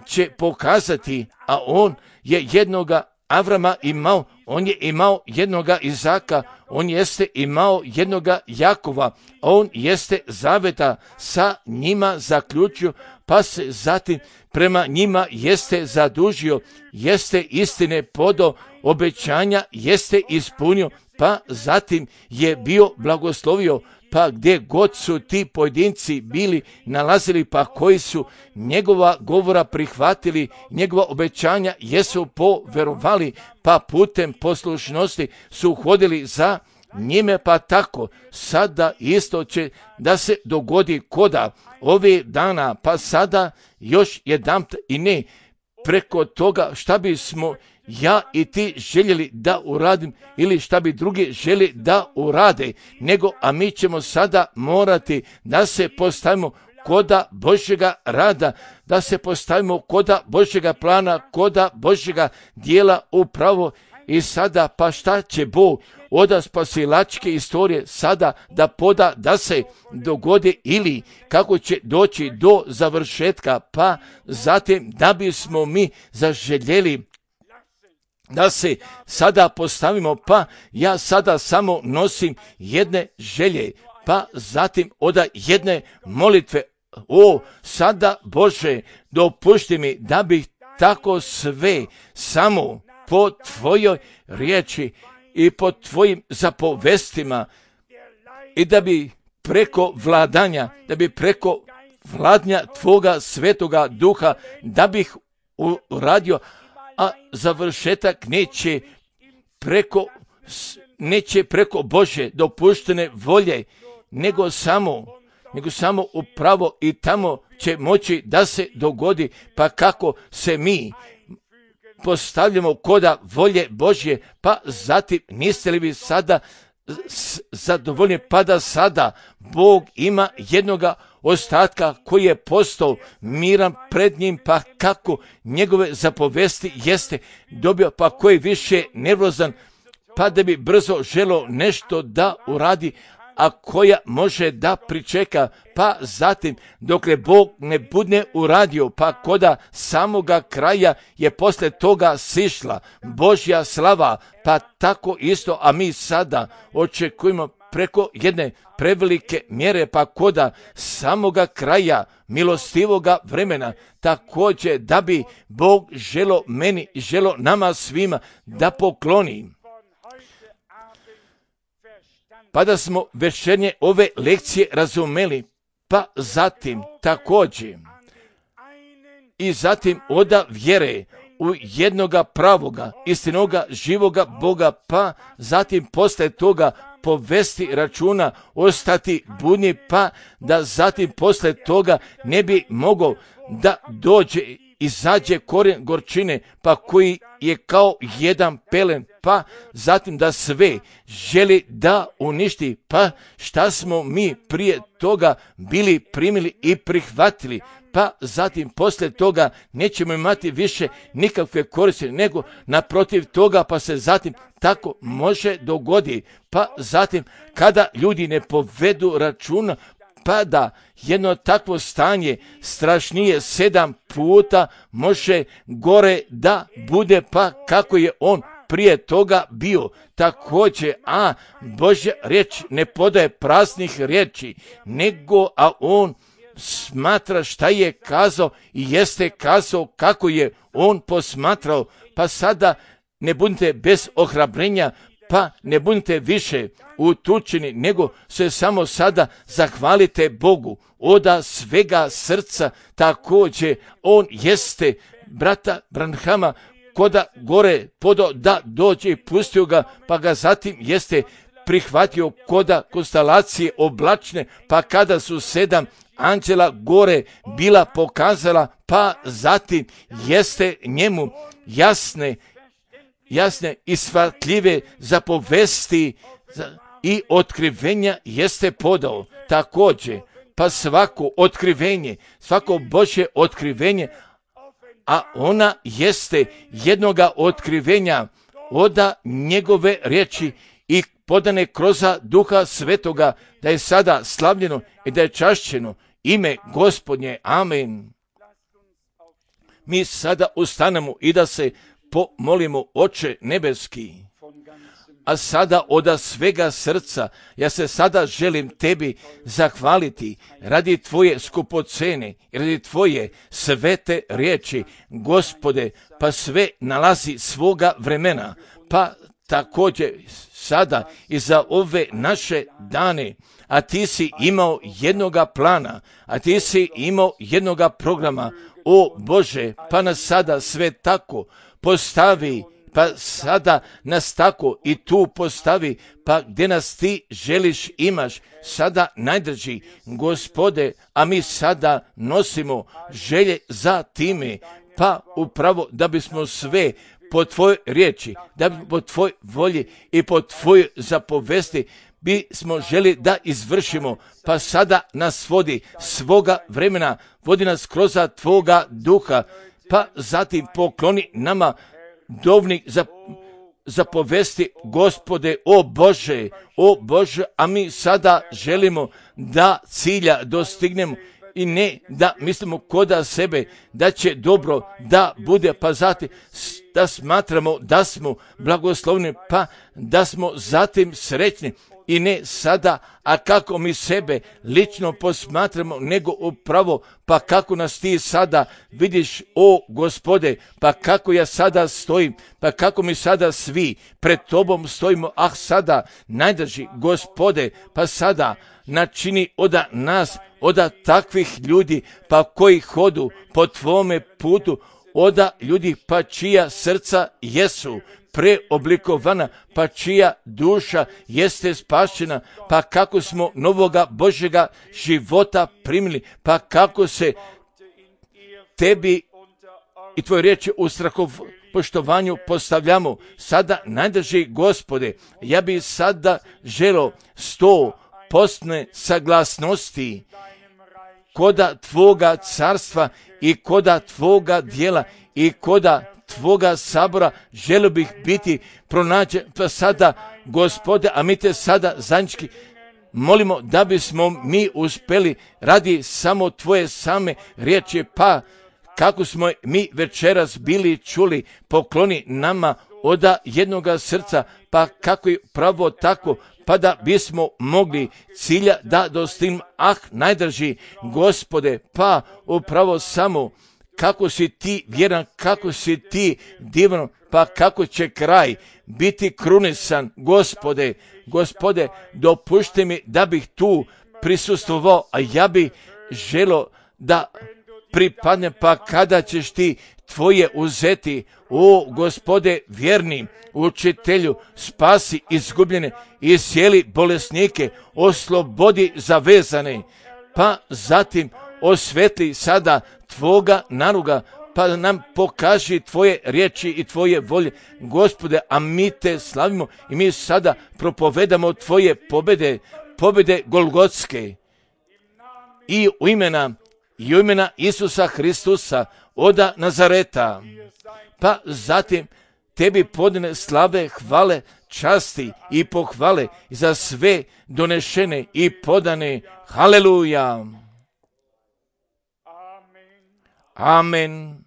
će pokazati, a on je jednoga Avrama imao, on je imao jednoga Izaka, on jeste imao jednoga Jakova, on jeste zaveta sa njima zaključio, pa se zatim prema njima jeste zadužio, jeste istine podo obećanja, jeste ispunio, pa zatim je bio blagoslovio, pa gdje god su ti pojedinci bili nalazili, pa koji su njegova govora prihvatili, njegova obećanja jesu poverovali, pa putem poslušnosti su hodili za njime, pa tako sada isto će da se dogodi koda ove dana, pa sada još jedanput i ne preko toga šta bismo ja i ti željeli da uradim ili šta bi drugi želi da urade, nego a mi ćemo sada morati da se postavimo koda Božjega rada, da se postavimo koda Božjega plana, koda Božjega dijela upravo. I sada pa šta će Bog od spasilačke istorije sada da poda da se dogodi ili kako će doći do završetka, pa zatim da bismo mi zaželjeli da se sada postavimo, pa ja sada samo nosim jedne želje, pa zatim od jedne molitve. O, sada Bože, dopušti mi da bih tako sve samo po tvojoj riječi i po tvojim zapovestima i da bi preko vladanja tvoga svetoga duha, da bih uradio, a završetak neće preko Božje dopuštene volje, nego samo upravo i tamo će moći da se dogodi, pa kako se mi postavljamo koda volje Božje, pa zatim niste li vi sada zadovoljni, pa da sada Bog ima jednoga ostatka koji je postao miran pred njim, pa kako njegove zapovesti jeste dobio, pa koji više nervozan, pa da bi brzo želo nešto da uradi, a koja može da pričeka, pa zatim dokle Bog ne bude uradio, pa koda samoga kraja je posle toga sišla Božja slava, pa tako isto, a mi sada očekujemo preko jedne prevelike mjere, pa koda samoga kraja milostivoga vremena, također da bi Bog želo meni i želo nama svima da pokloni. Pa da smo večernje ove lekcije razumeli, pa zatim također i zatim oda vjere u jednoga pravoga, istinoga, živoga Boga, pa zatim posle toga povesti računa, ostati budni, pa da zatim posle toga ne bi mogao da izađe korijen gorčine, pa koji je kao jedan pelen, pa zatim da sve želi da uništi, pa šta smo mi prije toga bili primili i prihvatili, pa zatim posle toga nećemo imati više nikakve koristi, nego naprotiv toga, pa se zatim tako može dogodi, pa zatim kada ljudi ne povedu računa, pa da jedno takvo stanje strašnije 7 puta može gore da bude, pa kako je on prije toga bio. Također, a Božja riječ ne podaje praznih riječi, nego a on smatra šta je kazao i jeste kazao kako je on posmatrao, pa sada ne budite bez ohrabrenja, pa ne budite više utučeni, nego se samo sada zahvalite Bogu oda svega srca. Također on jeste brata Branhama koda gore podao da dođe i pustio ga, pa ga zatim jeste prihvatio koda konstelacije oblačne, pa kada su 7 anđela gore bila pokazala, pa zatim jeste njemu jasne i shvatljive zapovesti i otkrivenja jeste podao. Također, pa svako Božje otkrivenje, a ona jeste jednoga otkrivenja oda njegove riječi i podane kroz Duha Svetoga, da je sada slavljeno i da je čašćeno ime Gospodnje. Amen. Mi sada ustanemo i da se pomolimo, Oče nebeski. A sada od svega srca ja se sada želim tebi zahvaliti radi tvoje skupocene, radi tvoje svete riječi, Gospode, pa sve nalazi svoga vremena, pa također sada i za ove naše dane, a ti si imao jednoga plana, a ti si imao jednoga programa, o Bože, pa nas sada sve tako postavi pa sada nas tako i tu postavi, pa gdje nas ti želiš imaš, sada najdraži Gospode, a mi sada nosimo želje za time, pa upravo da bismo sve po tvojoj riječi, da bi po tvojoj volji i po tvojoj zapovesti bismo želi da izvršimo, pa sada nas vodi svoga vremena, vodi nas kroz tvoga duha, pa zatim pokloni nama dovnik za povesti, Gospode, o Bože, a mi sada želimo da cilja dostignemo i ne da mislimo koda sebe da će dobro da bude, pa zatim da smatramo da smo blagoslovni, pa da smo zatim srećni i ne sada, a kako mi sebe lično posmatramo, nego upravo pa kako nas ti sada vidiš, o Gospode, pa kako ja sada stojim, pa kako mi sada svi pred tobom stojimo, sada najdraži Gospode, pa sada načini od nas, od takvih ljudi, pa koji hodu po tvome putu, od ljudi pa čija srca jesu preoblikovana, pa čija duša jeste spašena, pa kako smo novoga Božjega života primili, pa kako se tebi i tvoje riječi u poštovanju postavljamo. Sada, najdraži Gospode, ja bih sada želio 100% saglasnosti koda tvoga carstva i koda tvoga djela i koda tvoga sabora, želio bih biti pronađen, pa sada, Gospode, a mi te sada zajednički molimo da bismo mi uspjeli radi samo tvoje same riječi, pa kako smo mi večeras bili čuli, pokloni nama od jednoga srca, pa kako je pravo tako, pa da bismo mogli cilja da dostignemo. Najdraži Gospode, pa upravo samo kako si ti vjeran, kako si ti divan, pa kako će kraj biti krunisan, Gospode, dopušti mi da bih tu prisustvovao, a ja bih želio da pripadne, pa kada ćeš ti tvoje uzeti, o Gospode vjerni učitelju, spasi izgubljene i iscijeli bolesnike, oslobodi zavezane, pa zatim osvetli sada tvoga naruga, pa nam pokaži tvoje riječi i tvoje volje, Gospode, a mi te slavimo i mi sada propovedamo tvoje pobjede Golgotske i u imena Isusa Hristusa od Nazareta, pa zatim tebi podane slave, hvale, časti i pohvale za sve donešene i podane. Haleluja. Amen.